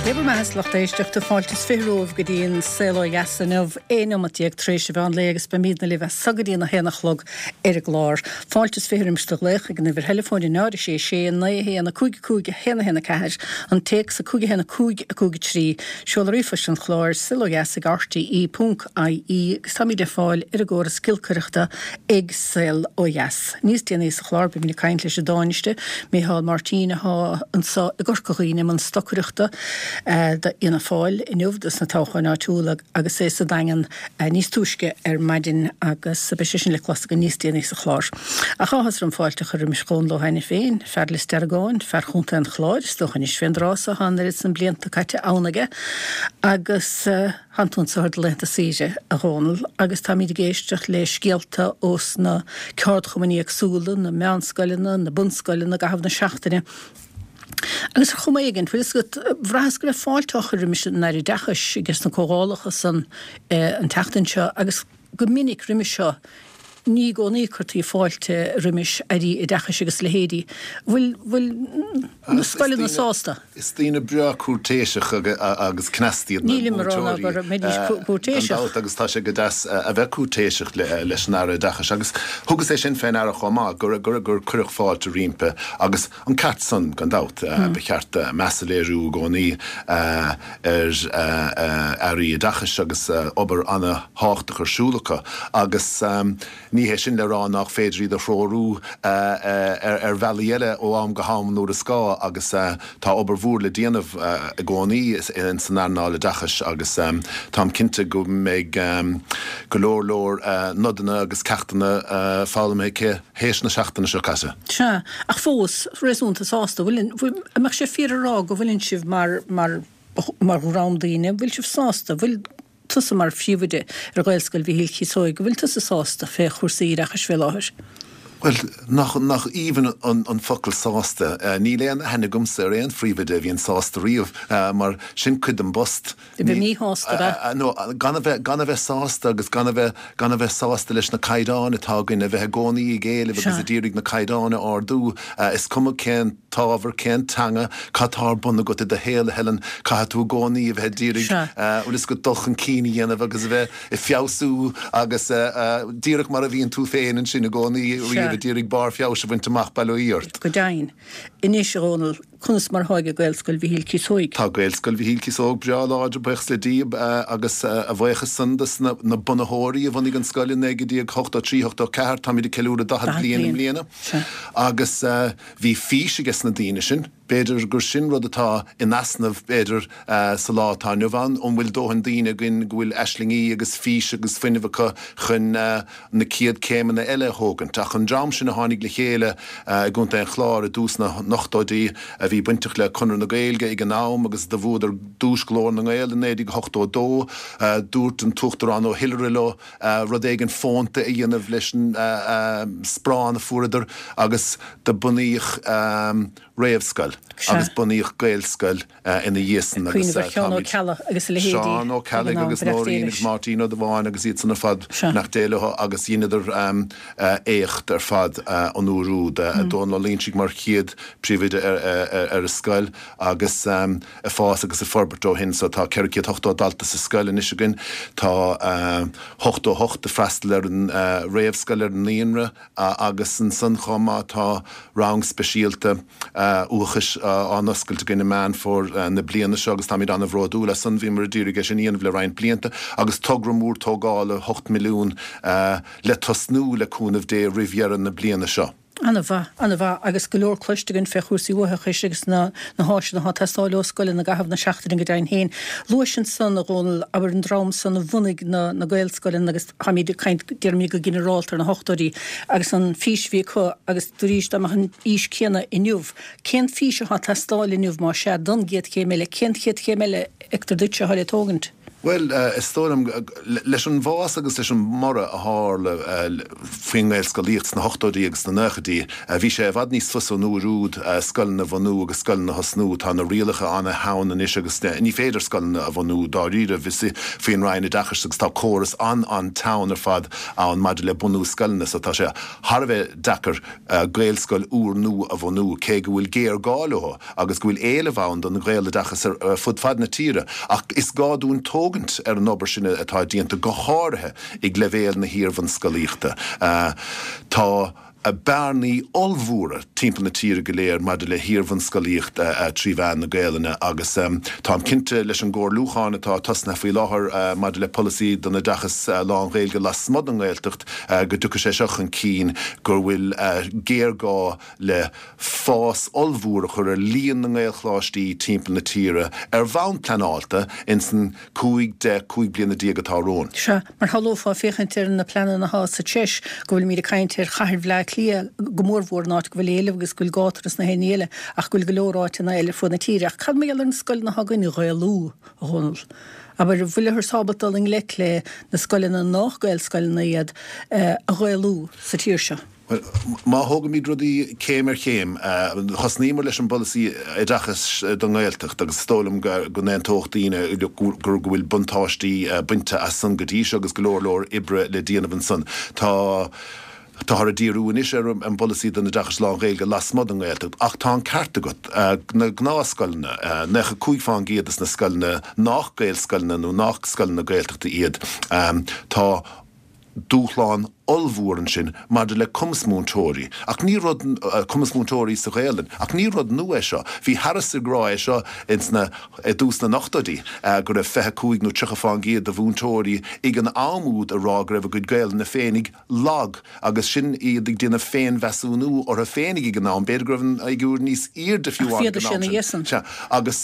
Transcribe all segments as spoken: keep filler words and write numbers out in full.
Dé bhur mbeatha a lucht éisteachta fáilte is fiche romhaibh go dtí an Saol Ó Dheas inniu aon neomat déag tar éis an mheán lae agus beimidne libh as so go dtí a haon a chlog ar an gclár. Fáilte is fiche roimis do ghlaoch ag an uimhir theileafóin náid sé sé naoi haon a cúig cúig haon haon a ceathair an téacs a cúig haon a cúig a cúig trí seoladh ríomhphoist an chláir saolodheas ag RTE ponc IE agus táimid ar fáil ar an gcóras giolcaireachta ag Saol Ó Dheas. Níos déanaí sa chlár beimid ag caint leis an dTánaiste Micheál Martin atá anseo i gCorca Dhuibhne i mbun stocaireachta d'Fhianna Fáil inniu dos na toghcháin áitiúla agus é sa Daingean níos túisce ar maidin agus beidh sé sin le clos againn níos déanaí sa chlár. Ach áthas orm fáilte a chur roimis Dhónal Ó hAiniféin, fear Lios Deargáin, fear Chontae an Chláir, is dócha anois fén dtráth so tá an oiread san blianta caite ann aige agus tánn tú anso ar do laethanta saoire a Dhónaill agus táimid ag éisteacht le scéalta ós na ceardchumainn éagsúla, na meánscoileanna, na bunscoileanna i gcaitheamh na seachtaine. Agus ar chuma éigin, bhfuil fhios agat, bhraitheas go raibh fáilte á chur roimis an Aire Oideachais aige sna comhdhálacha san an tseachtain seo agus go minic roimis seo ní i gcónaí a cuirtí fáilte roimis Airí Oideachais agus a leithéidí. Bhfuil, bhfuil na scoileanna sásta? Is daoine breá cúirtéiseach agus cneasta iad na Nílim ag rá ná múinteoirí go mbeidís gan cúirtéiseach. dabht agus tá sé go deas a bheith cúirtéiseach leis an Aire Oideachais agus thugas é sin fé ndeara chomh maith gur gur gur cuireadh fáilte roimpi agus An ceart san, gan dabht. Ba cheart meas a léiriú i gcónaí ar Airí Oideachais agus obair ana-thábhachtach ar siúl acu agus ní hé sin le rá nách féidir iad a threorú ar bhealaí eile ó am go ham nuair is gá agus tá obair mhór le déanamh i gcónaí san earnáil oideachais agus táim cinnte go mbeidh go leor leor nodanna agus ceachtanna foghlamtha aici théis na seachtaine seo caite. Sea, ach fós, réasúnta sásta. Bhfuil, bhfuil, an mbeadh sé fíor a rá go bhfuileann sibh mar, mar, mar dhream daoine, bhfuil sibh sásta, bhfuil tusa mar phríomhoide ar Ghaelscoil Mhichíl Chíosóig, bhfuil tusa sásta fé chúrsaí oideachais fé láthair? Bhuel, nach, nach aoibhinn an, an focal sásta. Níl aon aithne agamsa ar aon phríomhoide a bhíonn sásta riamh, mar sin cuid den bpost. A bheith míshásta, ab ea? No, gan a bheith, gan a bheith sásta agus gan a bheith, gan a bheith sásta leis na caighdeáin atá againn, a bheith i gcónaí ag éileamh agus ag iarraidh na caighdeáin a ardú, is cuma cén t-ábhar, cén teanga, cad tá ar bun agat i do shaol, a Helen, caithfidh tú i gcónaí a bheith ag iarraidh, bhfuil fhios agat, dul chun cinn a dhéanamh agus a bheith ag feabhsú agus díreach mar a bhíonn tú féin ansin i gcónaí riamh ag iarraidh barr feabhais a bhaint amach, bail ó Dhia ort. Go deimhin. Anois, a Dhónaill, Conas mar atá ag Gaelscoil Mhichíl Cíosóig? Tá Gaelscoil Mhichíl Cíosóg breá láidir, buíochas le Dia, agus a bhuíochas san dos na bunaitheoirí a bhunaigh an scoil i naoi déag ochtó trí, ochtó ceathair. Táimid ag ceiliúradh daichead bliain i mbliana agus bhí fís ages na daoine sin. B'fhéidir gur sin rud atá in easnamh, b'fhéidir, sa lá atá inniu ann. An bhfuil dóthain daoine againn go bhfuil aislingí agus fís agus fuinneamh acu chun na céad céimeanna eile a thógaint. Ach an dream sin a tháinig le chéile i gContae an Chláir i dtús na n-ochtóidí, a bhí bainteach le Conradh na Gaeilge ag an am agus do bhuadar Duais Ghlór na nGael i naoi déag ochtó a dó, dúirt an tUachtarán Ó hIolaire leo rud éigin fónta a dhéanamh leis an sparán a fuaireadar agus do bunaíodh réamhscoil agus bunaíodh Gaelscoil ina dhiaidh san Ag agus cuimhneamh ar Sheán Ó táimid Ceallaigh agus a leithéidí Seán Ó ag an Ceallaigh am, agus Breac Nóirín Éiris. agus Máirtín Ó Dubháin agus iad san ar fad, Sea. beannacht Dé leo agus dheineadar éacht ar fad an uair úd. Dónal Ó Loingsigh mar chéad príomhoide ar an scoil agus ag fás agus ag forbairt ó shin so tá ceithre chéad ochtó dalta sa scoil anois againn. Tá ochtó a hocht ag freastal ar an réamhscoil, ar an naíonra. Agus ansan chomh maith tá rang speisialta uathachais á n-oscailt againn i Meán Fómhair na bliana seo agus táimid an-bhródúil as san. Bhíomar ag iarraidh é sin a dhéanamh le roinnt blianta agus togra mór tógála hocht milliún le tosnú le cúnamh Dé roimh dheireadh na bliana seo. An-mhaith, an-mhaith agus go leor cloiste againn fé chúrsaí uathachais agus na na háiseanna atá ag teastáil ó scoileanna i gcaitheamh na seachtaine go deimhin féin. Luais ansan, a Dhónaill, abair an dream san a bhunaigh na na Gaelscoileanna agus táimid ag caint, déarfaimid go ginearálta ar na hochtóidí agus an fís a bhí acu agus arís dá mbeadh an fhís céanna inniu, cén fís atá ag teastáil inniu más ea don gcéad chéim eile, cén chéad chéim eile a fheictear duitse atá le tógaint? Bhuel, is dóigh liom, leis an bhfás agus leis an mborradh a tharla faoin nGaelscolaíocht sna hochtóidí agus sna nóchaidí, bhí sé i bhfad níos fusa an uair úd scoileanna a bhunú agus scoileanna a thosnú. Tá na rialacha an-teann anois agus ní féidir scoileanna a bhunú dáiríre faoin Roinn Oideachais agus tá córas an-an-teann ar fad ann maidir le bunú scoileanna so tá sé thar a bheith deacair Gaelscoil úrnua a bhunú cé go bhfuil géarghá leo agus go bhfuil éileamh ann don Ghaeloideachas ar fud fad na tíre. Ach is gá dúinn tógaint ar an obair sin atá déanta, go háirithe ag leibhéal na hiar-bhunscolaíochta. Tá bearnaí ollmhóra timpeall na tíre go léir maidir le hiar-bhunscolaíocht trí mheán na Gaelainne agus táim cinnte leis an gcomhairliúchán atá tosnaithe faoi láthair maidir le polasaí don oideachas lán-Ghaeilge lasmuigh den nGaeltacht go dtiocfaidh sé seo chun cinn go bhfuil géarghá le fás ollmhór a chur ar líon na nGaelcholáistí timpeall na tíre ar bhonn pleanáilte ins an cúig, deich, cúig bliana déag atá romhainn. Sea, mar shamhlófá féachaint ar na pleananna atá sa Treis go bhfuilimid ag caint ar chathair Bhleá Cliath go mórmhór, an áit go bhfuil éileamh agus go bhfuil gátar sna haon ní eile ach go bhfuil go leor áiteanna eile ar fud na tíre. Ach cad mar gheall ar na scoileanna atá againn a Ghaelú, a Dhónaill? Abair, an bhfuilthear ábalta dul i ngleic le na scoileanna nách Gaelscoileanna iad a Ghaelú sa tír seo? Bhuel, má thógaimid rudaí céim ar chéim, thosnaíomar leis an bpolasaí oideachais don nGaeltacht agus is dóigh liom go n-aontódh daoine go bhfuil buntáistí bainte as san go dtí seo agus go leor leor oibre le déanamh ansan. Tá Táthar ag díriú anois ar an bpolasaí don oideachas lán-Ghaeilge lasmuigh den nGaeltacht ach tá an ceart agat, na gnáthscoileanna, naocha cúig fán gcéad des na scoileanna nách Gaelscoileanna nó nách scoileanna Gaeltachta iad, tá dúshlán ollmhór ansin maidir le cumas múinteoirí. Ach ní rud, cumas múinteoirí sa Ghaelainn, ach ní rud nua é seo. Bhí Harris ag rá é seo ins na, i dtús na n-ochtóidí, go raibh fiche cúig nó tríocha fán gcéad de mhúinteoirí ag an am úd ag rá go raibh a gcuid Gaelainne féinig lag agus sin iad ag déanamh féinmheasúnú orthu féinig ag an am, b'fhéidir go raibh an fhigiúr níos airde fiú Ach ann ag bhíodar an am sin a sin. dhéasan. Sea, agus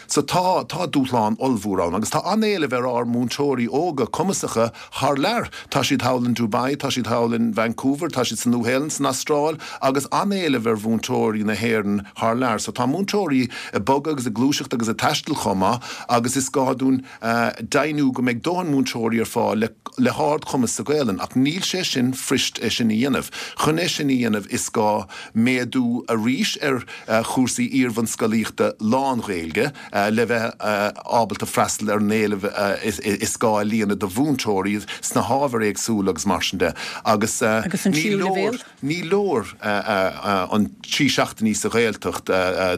so tá, tá dúshlán ollmhór ann agus tá an-éileamh ar ár múinteoirí óga cumasacha thar lear. Tá siad thall in Dubai, tá siad thall in Vancouver, tá siad sa Nua-Shéalainn, san Astráil agus an-éileamh ar mhúinteoirí na hÉireann thar lear. So tá múinteoirí ag bogadh agus ag gluaiseacht agus ag taisteal chomh maith agus is gá dúinn deimhniú go mbeidh dóthain múinteoirí ar fáil le le hardchumas sa Ghaelainn ach níl sé sin fuirist é sin a dhéanamh. Chun é sin a dhéanamh is gá méadú arís ar chúrsaí iarbhunscolaíochta lán-Ghaeilge le bheith ábalta freastal ar an éileamh is gá a líonadh do mhúinteoirí sna hábhair éagsúla agus mar sin de. Agus Agus an ní tríú leor leibhéal? ní leor an trí seachtainí sa Ghaeltacht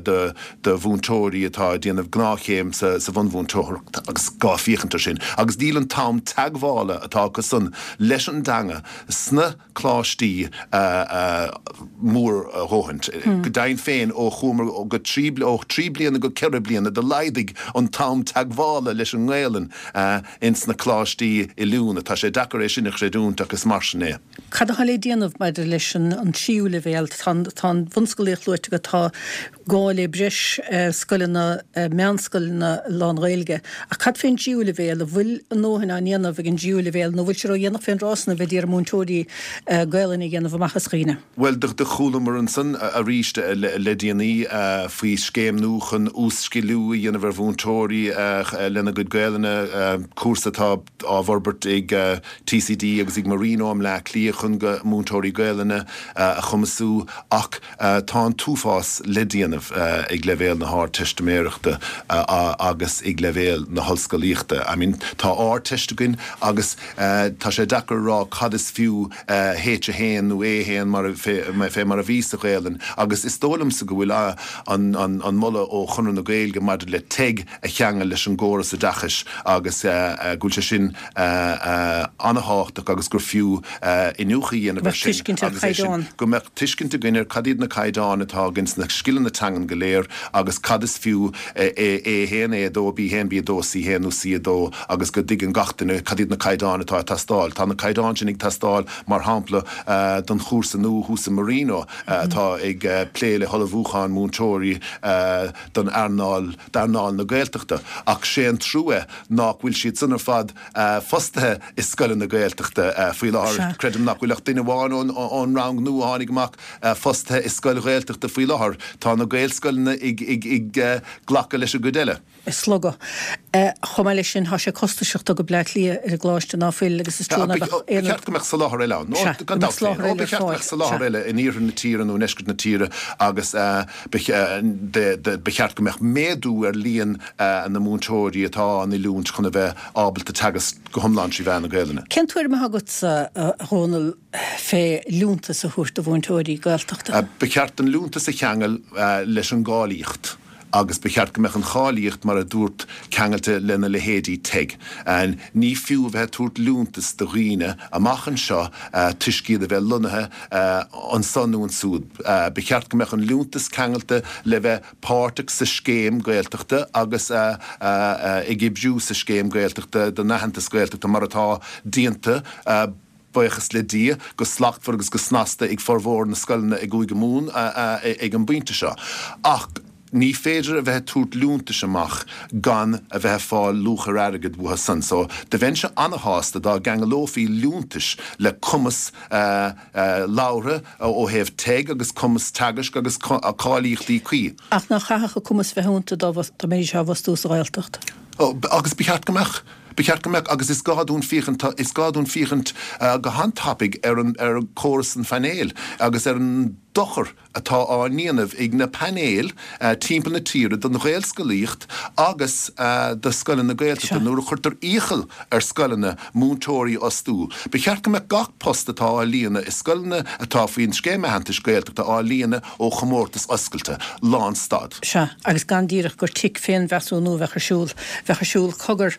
do do mhúinteoirí atá ag déanamh gnáthchéim sa sa bhunmhúinteoireacht agus gá féachaint air sin. Agus níl an t-am teagmhála atá acu san leis an dteanga sna coláistí mór a dhóthain. Go deimhin féin, ó chuamar go trí, ó thrí bliana go ceithre bliana, do laghdaigh an t-am teagmhála leis an nGaelainn ins na coláistí oiliúna. Tá sé deacair é sin a chreidiúint ach is mar sin é. Cad atá le déanamh maidir leis an tríú leibhéal? Tá an bhunscolaíocht luaite agat, tá gá le breis scoileanna, meánscoileanna lán-Ghaeilge. Ach cad fén dtríú leibhéal? An bhfuil a ndóthain á ndéanamh ag an dtríú leibhéal nó bhfuil sé ródhéanach fén dtráth san a bheith d'iarraidh múinteoirí Gaelainne a dhéanamh amach as dhaoine? Bhuel, do chualamar ansan arís le déanaí faoi scéim nua chun uas-sciliú a dhéanamh ar mhúinteoirí lena gcuid Gaelainne, cúrsa atá á bhforbairt ag TCD agus ag Marino i mBleá Cliath chun go múinteoirí Gaelainne a chumasú ach tá an t-uafás le déanamh ag leibhéal na hArdteistiméireachta agus ag leibhéal na hollscolaíochta. I mean, tá Ardteist againn agus tá sé deacair a rá cad is fiú H a haon nó A haon mar fé mar a bhí sa Ghaelainn agus is dóigh liomsa go bhfuil an an moladh ó Chonradh na Gaeilge maidir le teg a cheangal leis an gcóras oideachais agus go bhfuil sé sin an-thábhachtach agus gur fiú iniúchadh a Go dhéanamh ar mbeadh sin tuiscint ar agus é sin chaighdeán. go mbeadh tuiscint againn ar cad iad na caighdeáin atá againn sna scileanna teangan go léir agus cad is fiú A haon, A dó, B haon, B dó, C haon nó C dó agus go dtuigeann gach duine cad iad na caighdeáin atá ag teastáil. Tá na caighdeáin sin ag teastáil, mar shampla, don chúrsa nua thuas i Marino atá ag plé le hullmhúchán múinteoirí don earnáil, d'earnáil na Gaeltachta. Ach sé an trua nach bhfuil siad san ar fad fostaithe i scoileanna Gaeltachta faoi láthair. Sea. Creidim nach bhfuil ach duine amháin ón rang nua a tháinig amach fostaithe i scoil Ghaeltachta faoi láthair. Tá na Gaelscoileanna ag glacadh leis an gcuid eile. slogadh. Chomh maith leis sin, tá sé costasach dul go Bleá Cliath ar an gcoláiste ná fuil agus is trua ná beadh aon. Ba cheart go mbeadh soláthar eile ann. Sea, go mbeadh soláthar eile ar fáil. Ba cheart go mbeadh soláthar eile in iarthar na tíre nó i ndeisceart na tíre agus ba cheart go mbeadh méadú ar líon na múinteoirí atá á n-oiliúint chun a bheith ábalta teagasc go hiomlán trí mheán na Gaelainne. Cén tuairim atá agatsa, a Dhónaill, fé liúntas a thabhairt do mhúinteoirí Gaeltachta? Ba cheart an liúntas a cheangal leis an gcáilíocht agus ba cheart go mbeadh an cháilíocht, mar a dúrt, ceangailte lena leithéidí teg. Ní fiú a bheith ag tabhairt liúntas do dhaoine amach anseo toisc iad a bheith lonnaithe anso nó ansúd. Ba cheart go mbeadh an liúntas ceangailte le bheith páirteach sa scéim Gaeltachta agus ag oibriú sa scéim Gaeltachta don aitheantas Gaeltachta mar atá déanta, buíochas le Dia, go slachtmhar agus go snasta ag formhór na scoileanna i gCúige Mumhan ag an bpointe seo. Ach ní féidir a bheith ag tabhairt liúntais amach gan a bheith ag fáil luach ar airgead uathu san. So, do bheinnse ana-shásta dá gceangalófaí liúntais le cumas labhartha ó thaobh teg agus cumas teagaisc agus cáilíochtaí cuí. Ach nach chaithfeadh an cumas bheith iontu dá mbeidís á bhfostú sa Ghaeltacht? Agus ba cheart go mbeadh. Ba cheart go mbeadh, agus is gá dúinn féachaint, is gá dúinn féachaint go han-tapaidh ar an, ar chóras an phainéil agus ar an dochar atá á ndéanamh ag na painéil timpeall na tíre don Ghaelscolaíocht agus do scoileanna Gaeltachta nuair a chuirtear iachall ar scoileanna múinteoirí a fhostú. Ba cheart go mbeadh gach post atá á líonadh i scoileanna atá faoin Scéim Aitheantais Gaeltachta á líonadh ó chomórtas oscailte, lánstad. Sea, agus gan díreach gur tic féinmheasúnú a bheadh ar siúl, bheadh ar siúl. Cogar,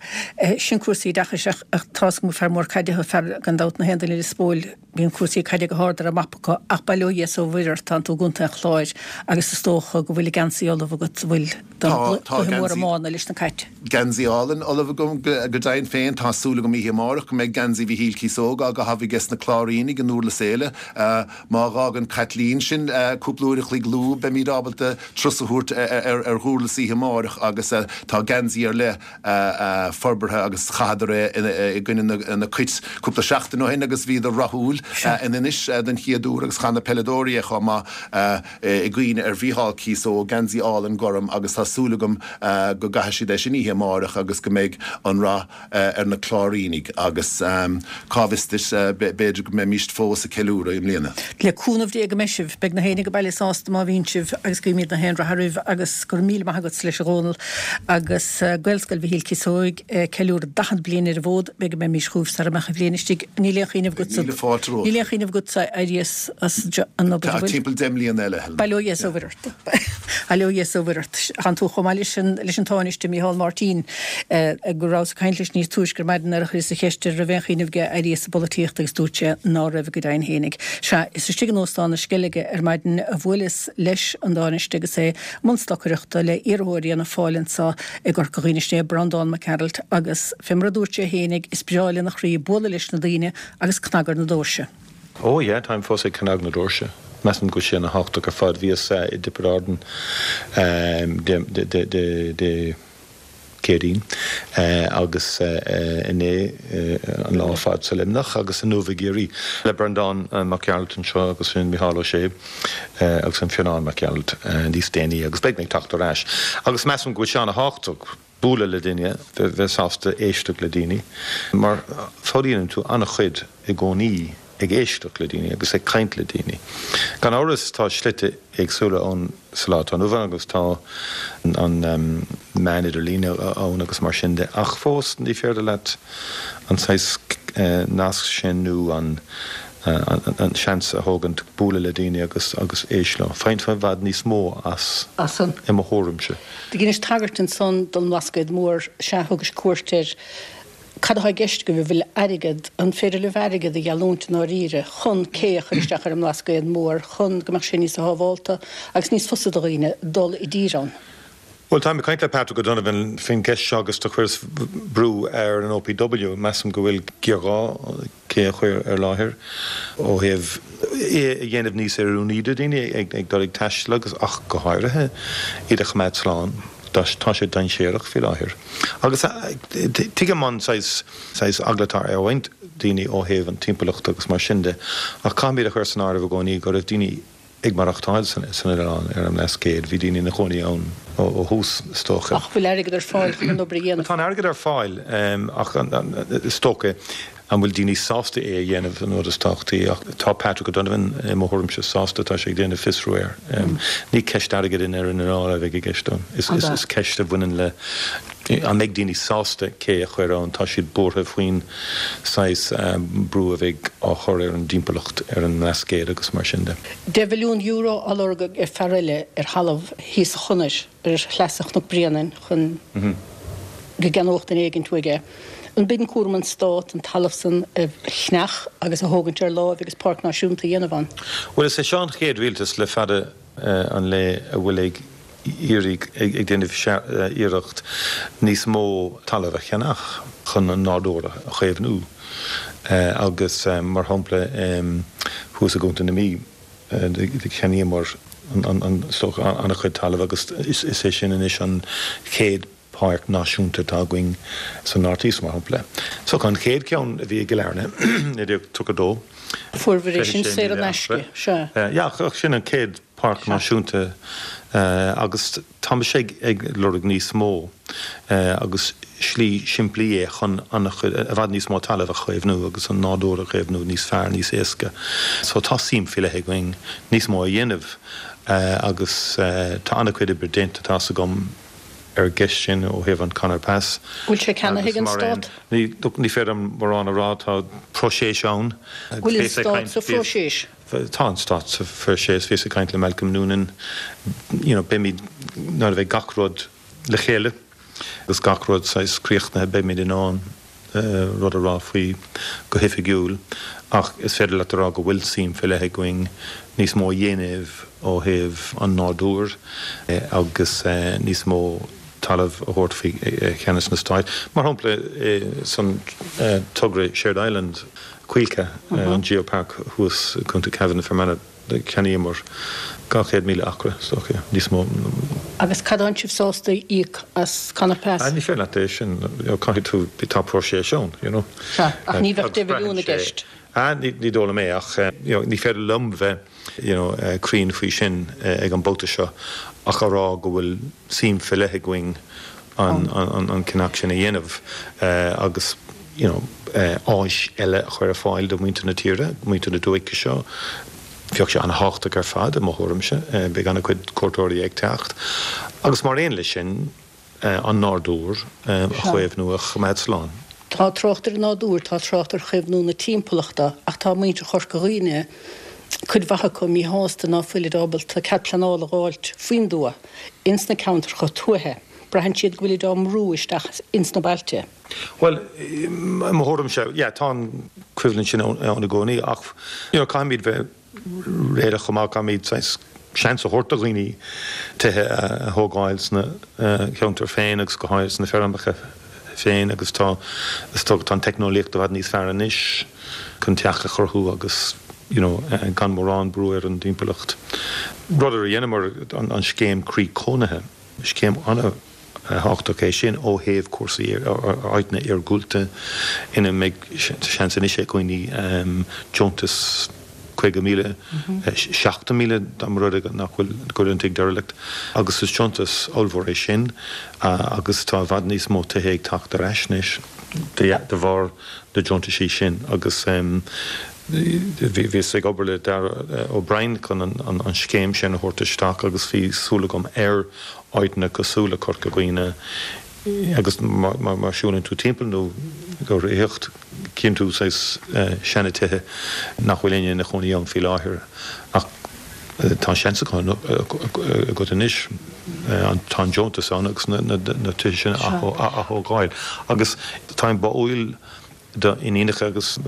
sin cúrsaí oideachais ach tá's agam gur fear mór caide thú, fear gan dabht na haon duine i Lios Póil, bíonn cúrsaí caide go hard ar an mapa acu ach bail ó Dhia is ó Mhuire ort, tánn tú i gContae an Chláir agus is dócha go bhfuil geansaí ullamh agat, an bhfuil, don gcluiche mór iomána leis na Cait. Geansaí álainn ullamh agam go deimhin féin. Tá súil agam oíche amárach go mbeidh geansaí Mhichíl Cíosóg á gcaitheamh aige na Cláirínigh i nDurlas Éile. Má dh'fhágann Caitlín sin cúpla uair a chloig luath beimid ábalta turas a thabhairt ar Dhurlas oíche amárach agus tá geansaí ar leith forbartha agus chaitheadar é i gcoinne na Cait cúpla seachtain ó shin agus bhíodar rathúil in Inis den chéad uair agus chaith na peileadóirí é chomh maith i gcuimhne ar Mhícheál Cíosóg, geansaí álainn gorm agus tá súil agam go gcaithfidh siad é sin oíche amárach agus go mbeidh an rath ar na Cláirínigh agus cá bhfios duit, b'fhéidir go mbeimíst fós ag ceiliúradh i mbliana. Le cúnamh Dé go mbeidh sibh. Beidh na héinne ag baile sásta má bhíonn sibh agus guímid na haon rath oraibh agus go raibh míle maith agatsa leis a Dhónaill agus Gaelscoil Mhichíl Cíosóig ag ceiliúradh daichead bliain ar an bhfód. B'fhéidir go mbeimís chugaibh sara mbeadh an bhliain istigh. Níl aon chuimhneamh agatsa. Míle fáilte romhat. Níl aon chuimhneamh agatsa éirí as an obair, an bhfuil? Timpeall deich mbliana eile, Helena. Bail ó Dhia is ó Mhuire ort. Bail ó Dhia is ó Mhuire ort. Tánn tú chomh maith leis an leis an Tánaiste Micheál Martin go rabhas ag caint leis níos túisce ar maidin nuair a chuireas an cheist air an raibh aon chuimhneamh aige éirí as an bpolaitíocht agus dúirt sé ná raibh go deimhin fhéinig. Sea, is istigh in Óstán na Sceilge ar maidin a bhuaileas leis an Tánaiste agus é i mbun stocaireachta le iarrthóir Fhianna Fáil anso i gCorca Dhuibhne, sin é Breandán Mac Gearailt agus fé mar a dúirt sé fhéinig is breá lena chroí bualadh leis na daoine agus cnagadh ar na doirse. Oh yeah, táim fós ag cnagadh na doirse. Measaim go bhfuil sé ana thábhachtach ar fad. Bhíos i dTiobraid Árann Dé Céadaoin agus inné an lá ar fad sa Luimneach agus inniu i gCiarraí le Breandán Mac Gearailt anseo agus sin Micheál Ó Sé agus an Fionnán Mac Gearailt níos déanaí agus beidh mé ag teacht ar ais. Agus measaim go bhfuil sé ana thábhachtach bualadh le duine, bheith sásta éisteacht le daoine, mar foghlaimíonn tú an-chuid i gcónaí ag éisteacht le daoine agus ag caint le daoine. Gan amhras tá slite éagsúla ann sa lá atá inniu ann agus tá an meán idirlíne ann agus mar sin de ach fós ní féidir leat an saghas nasc sin nó an an seans a thógaint bualadh le daoine agus agus éist leo. Faigheann tú i bhfad níos mó as, i mo thuairimse. Do dheinis tagairt ansan don mBlascaod Mór, sea, thugais cuairt air. Cad atá i gceist agaibh, an bhfuil airgead, an féidir libh airgead a gheallúint i ndáiríre chun cé a chur isteach ar an mBlascaod Mór chun go mbeadh sé níos sábhálta agus níos fusa do dhaoine dul i dtír ann? Bhuel, táim ag caint le Patrick O'Donovan faoin gceist seo agus do chuireas brú ar an OPW. Measaim go bhfuil géarghá cé a chur ar láthair ó thaobh é a dhéanamh níos oiriúnaí do dhaoine ag dul ag taisteal agus ach go háirithe iad a choimeád slán. Tá sé dainséarach faoi láthair. Agus tuigim an saghas saghas eagla atá ar roinnt daoine ó thaobh an timpeallacht agus mar sin de ach caithfimid a chur san áireamh i gcónaí go raibh daoine ag maireachtáil san oileán ar an mBlascaod. Bhí daoine ina chónaí ann ó thús, is dócha. Ach bhfuil airgead ar fáil chun an obair a dhéanamh? Tá an airgead ar fáil ach is dócha an bhfuil daoine sásta é a dhéanamh an rud is tábhachtaí ach tá Patrick O'Donovan i mo thuairimse sásta, tá sé ag déanamh fiosrú air. Ní ceist airgid i ndeireadh na dála a bheidh i gceist ann. Is ceist a bhaineann le an mbeidh daoine sásta cé a chur ann, tá siad buartha faoin saghas brú a bheidh á chur ar an dtimpeallacht ar an mBlascaod agus mar sin de. Deich mhilliún euro á lorg ag fear eile ar thalamh thíos sa Chonair ar shleasa Chnoc Bréanainn chun go gceannódh duine éigint uaidh é. An b'in cúram an Stát an talamh san a cheannach agus a thógaint ar láimh agus páirc náisiúnta a dhéanamh ann? Bhuel, is é seo an chéad rialtas le fada an lae a bhfuil ag iarraidh, ag déanamh iarracht níos mó talaimh a cheannach chun an nádúr a chaomhnú agus mar shampla thuas i gContae na Mí cheannaíomar an-chuid talaimh agus is é sin anois an chéad páirc náisiúnta atá againn sa North East, mar shampla. So an chéad cheann a bhí i gCill Airne, naoi déag tríocha a dó. Fuaireabhair é sin saor in aisce, sea. Yeah, ach sin an chéad páirc náisiúnta agus tá mise ag lorg níos mó agus slí simplí é chun an-chuid, i bhfad níos mó talaimh a chaomhnú agus an nádúr a chaomhnú níos fearr, níos éasca. So tá suim faoi leith againn níos mó a dhéanamh agus tá an-chuid oibre déanta, tá's agam, ar an gceist sin ó thaobh an Conor Pass. Bhfuil sé ceannaithe ag an Stát? Ní, ní féidir liom mórán a rá, tá próiseas ann. Bhfuil an Stát sa phróiseas? Tá an Stát sa phróiseas. Bhíos ag caint le Malcolm Noonan, you know, beimid, nuair a bheidh gach rud le chéile agus gach rud saghas críochnaithe, beimid in ann rud a rá faoi go hoifigiúil ach is féidir leat a rá go bhfuil suim faoi leith againn níos mó a dhéanamh ó thaobh an nádúir agus níos mó talamh a thabhairt faoi cheannas na Stáit. Mar shampla, san togra Shared Island, Cuilcagh, an Geopark thuas i gContae Cavan, Fermanagh, cheannaíomar dhá chéad míle acra, is dócha, níos mó. Agus cad atánn sibh sásta a íoc as Conor Pass? Ní féidir leat é sin, caithfidh tú, tá próiseas ann, you know. Sea, ach ní bheadh deich mhilliún i gceist. Ní dóigh liom é, ach you know ní féidir liom bheith you know cruinn faoi sin ag an mbabhta seo ach a rá go bhfuil suim faoi leith againn an an ceannach sin a dhéanamh agus you know áis eile a chur ar fáil do mhuintir na tíre, muintir na dúiche seo. Bheadh sé an-thábhachtach ar fad i mo thuairimse, beidh an-chuid cuairteoirí ag teacht agus mar aon leis sin an nádúr a chaomhnú, a choimeád slán. Tá trácht ar an nádúr, tá trácht ar chaomhnú na timpeallachta ach tá muintir Chorca Dhuibhne, cuid mhaith acu, míshásta ná fuilid ábalta cead pleanála a dh'fháilt faoin dtuath ins na ceantracha tuaithe. Braitheann siad go bhfuilid á mbrú isteach ins na bailte. Bhuel, i mo thuairimse, yeah, tá an choimhlint sin ann i gcónaí ach, you know, caithfimid bheith réalaíoch chomh maith, caithfimid saghas seans a thabhairt do dhaoine tithe a thógáil sna ceantair féin agus go háirithe sna feirmeacha féin agus tá, is dócha, tá an teicneolaíocht i bhfad níos fearr anois chun teach a chruthú agus you know gan mórán brú ar an dtimpeallacht. Rud a dheineamar, an scéim Croí Cónaithe, scéim ana thábhachtach é sin ó thaobh cúrsaí áiteanna iargúlta ina mbeidh seans anois ag dhaoine deontas caoga míle, seachtó míle dá mba rud é nach bhfuil, go bhfuil an tigh derelict agus is deontas ollmhór é sin agus tá i bhfad níos mó tithe ag teacht ar ais anois de bharr na deontaisí sin agus bhíos ag obair le Darragh O'Brien chun an scéim sin a thabhairt isteach agus bhí súil agam ar áiteanna cosúil le Corca Dhuibhne agus má siúlann tú timpeall nó ag reathaíocht cíonn tú saghas seana-tithe nach bhfuil éinne ina chónaí ann faoi láthair ach tá an seans agat anois, tá an deontas ann agus na tithe sin a ath-thógáil agus táim báúil do iníonacha agus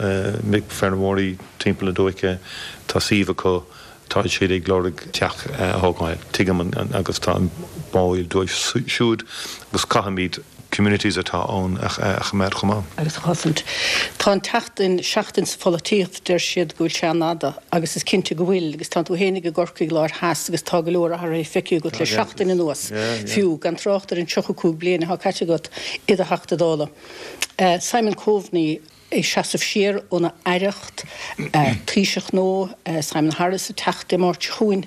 mic feirmeoirí timpeall na dúiche, tá suíomh acu, tá siad ag lorg teach a thógáil, tuigim agus táim báúil dóibh siúd agus caithfimid communities atá ann a choimeád chomh maith. agus a chosaint. Tá an tseachtain, seachtain sa pholaitíocht, deir siad go bhfuil sé an-fhada agus is cinnte go bhfuil agus tánn tú fhéinig i gCorcaigh Láir Theas agus tá go leor athraithe feicthe agat le seachtain anuas fiú, gan trácht ar an tríocha cúig bliain atá caite agat i do Theachta Dála. Simon Coveney ag seasamh siar óna aireacht, Taoiseach nua, Simon Harris ag teacht Dé Máirt seo chugainn.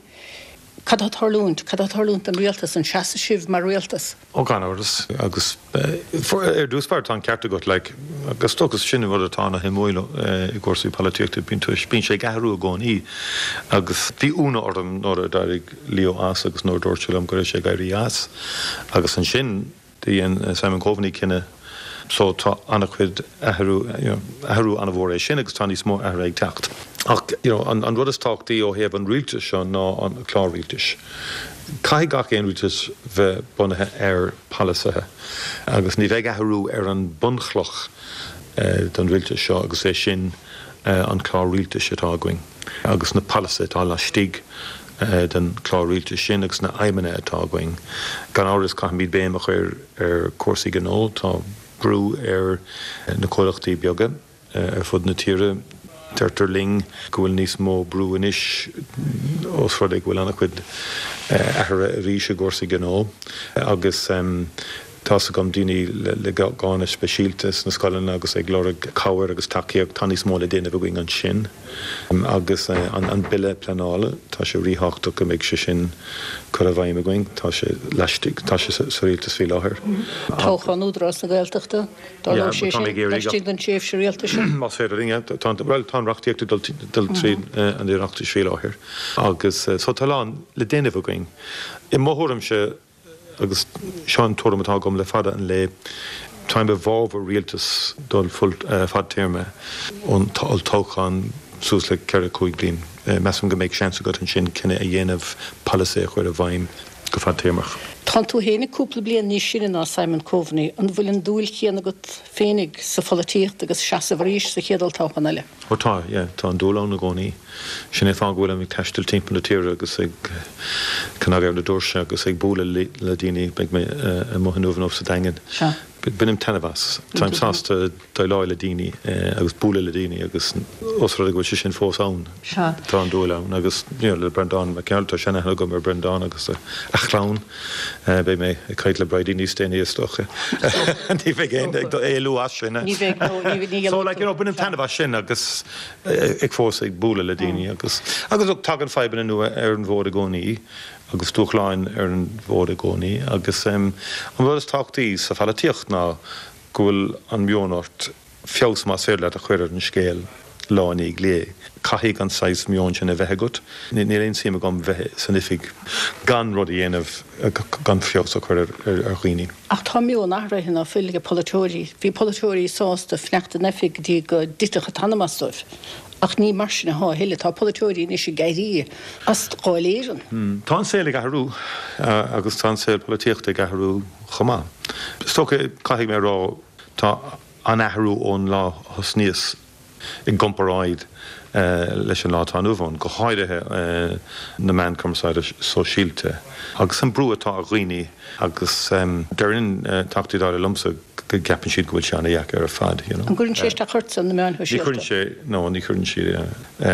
Cad tá ag tarlúint? Cad tá ag tarlúint don rialtas? An seasfaidh sibh mar rialtas? Ó gan amhras agus ar dtús báire tá an ceart agat like agus dócha sin an rud atá ana shuimiúil i gcúrsaí polaitíochta bíonn tú bíonn sé ag athrú i gcónaí agus bhí ionadh orm nuair a d'éirigh Leo as agus nuair a dúirt sé liom go raibh sé ag éirí as agus ansin do dhein Simon Coveney cinneadh so tá an-chuid athrú you know athrú an-mhór é sin agus tá níos mó athruithe ag teacht. Ach you know an an rud is tábhachtaí ó thaobh an rialtais seo ná an clár rialtais. Caithfidh gach aon rialtas bheith bunaithe ar pholasaithe agus ní bheidh athrú ar an bunchloch don rialtas seo agus é sin an clár rialtais atá againn agus na polasaithe atá laistigh den chlár rialtais sin agus na aidhmeanna atá againn. Gan amhras caithfimid béim a chur ar chúrsaí gnó, tá brú ar na comhlachtaí beaga ar fud na tíre. Deirtear linn go bhfuil níos mó brú anois ós rud é go bhfuil an-chuid athruithe arís i gcúrsaí gnó agus tá's agam daoine le gánna speisialta sna scoileanna agus ag lorg cabhair agus tacaíocht, tá níos mó le déanamh againn ansin. Agus an Bille Pleanála, tá sé ríthábhachtach go mbeidh sé sin curtha i bhfeidhm againn, tá sé laistigh, tá sé sa rialtas faoi láthair. Toghchán Údarás na Gaeltachta, tarlóidh sé sin laistigh den tréimhse rialtais seo? Más féidir linn, tá, bhuel, tá an reachtaíocht ag dul tríd an Oireachtas faoi láthair agus so tá a lán le déanamh againn. I mo thuairimse, Agus seo an tuairim atá agam le fada an lá, táim i bhfabhar rialtas dul fadtéarma ón olltoghchán suas le ceithre, cúig bliain. Measaim go mbeidh seans agat ansin cinneadh a dhéanamh, polasaí a chur i bhfeidhm go fadtéarmach. Tánn tú fhéinig cúpla bliain níos sine ná Simon Coveney. An bhfuil an dúil chéanna agat féinig sa pholaitíocht agus seasamh arís sa chéad olltoghchán eile? Ó tá, yeah, tá an dúil ann i gcónaí. Sin é an fáth go bhfuilim ag taisteal timpeall na tíre agus ag cnagadh ar na doirse agus ag bualadh le daoine. Beidh mé amuigh inniu nó sa Daingean. Sea. Bainim taitneamh as. Táim sásta déileáil le daoine agus bualadh le daoine agus os rud é go bhfuil sé sin fós ann, Sea. tá an dúil ann. Agus you know le Breandán Mac Gearailt, tá seanaithne agam ar Breandán agus a chlann. Beidh mé ag caint le Bridie níos déanaí is dócha. Ní bheidh aon ag éalú as sin. Ní bheidh, no, ní ní So like you know bainim taitneamh as sin agus ag fós ag bualadh le daoine agus agus look tagann fadhbanna nua ar an bhfód i gcónaí agus dúshláin ar an bhfód i gcónaí agus an rud is tábhachtaí sa pholaitíocht ná go bhfuil an meon ort feabhas más féidir leat a chur ar an scéal lá i ndiaidh lae. Caithfidh an saghas meoin sin a bheith agat. Níl aon suim agam bheith san oifig gan rud a dhéanamh, gan feabhas a chur ar dhaoine. Ach tá meon athraithe ná fuil ag polaiteoirí. Bhí polaiteoirí sásta fanacht in oifig go dtí go dtitfeadh an t-anam as dóibh. Ach ní mar sin atá a thuilleadh. Tá polaiteoirí anois ag éirí as Dáil Éireann. Tá an saol ag athrú agus tá an saol polaitíochta ag athrú chomh maith. Is dócha, caithfidh mé a rá, tá an-athrú ón lá a thosnaíos i gcomparáid leis an lá atá inniu ann, go háirithe na meáin cumarsáide sóisialta agus an brú atá ar dhaoine agus deireann Teachtaí Dála liomsa go gceapann siad go bhfuil sé ana-dheacair ar fad, you know. An gcuireann sé isteach ortsa, na meáin Ní shóisialta? chuireann sé, no, ní chuireann sé,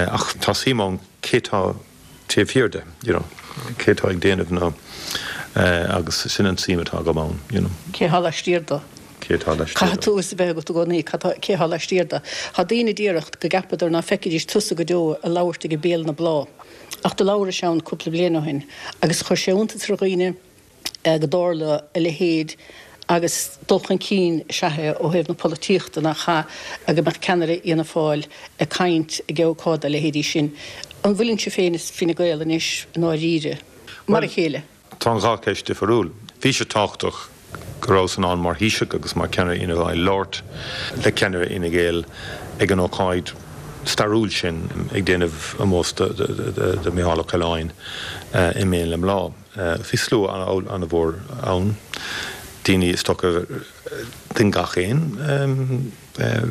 ach tá suim ann cé tá taobh thiar de, you know, cé tá ag déanamh na, agus sin an tsuim atá agam ann, you know. Cé thá laistiar de? Cé tá laistiar Caithfidh de? tú fhios a bheith agat i gcónaí cad tá, cé thá laistiar de. Thá daoine a déarfadh go gceapadar ná feicfidís tusa go deo ag labhairt ag Béal na Bláth. Ach do labhrais ann cúpla bliain ó shin agus chuir sé iontas ar dhaoine go dtarla a leithéid agus dul chun cinn is ea é ó thaobh na polaitíochta nach ea go mbeadh ceannaire Fhianna Fáil ag caint ag ócáid dá leithéidí sin. An bhfuileann sibh féin is Fine Gael anois i ndáiríre mar a Bhuel, chéile? tá an dhá cheist difriúil. Bhí sé tábhachtach go rabhas in ann mar Thaoiseach agus mar cheannaire Fhianna Fáil labhairt le ceannaire Fhine Gael ag an ócáid stairiúil sin ag déanamh ómós do Mhicheál Ó Coileáin i mBéal na mBláth. Bhí slua an-mhór ann, daoine is dócha den gach aon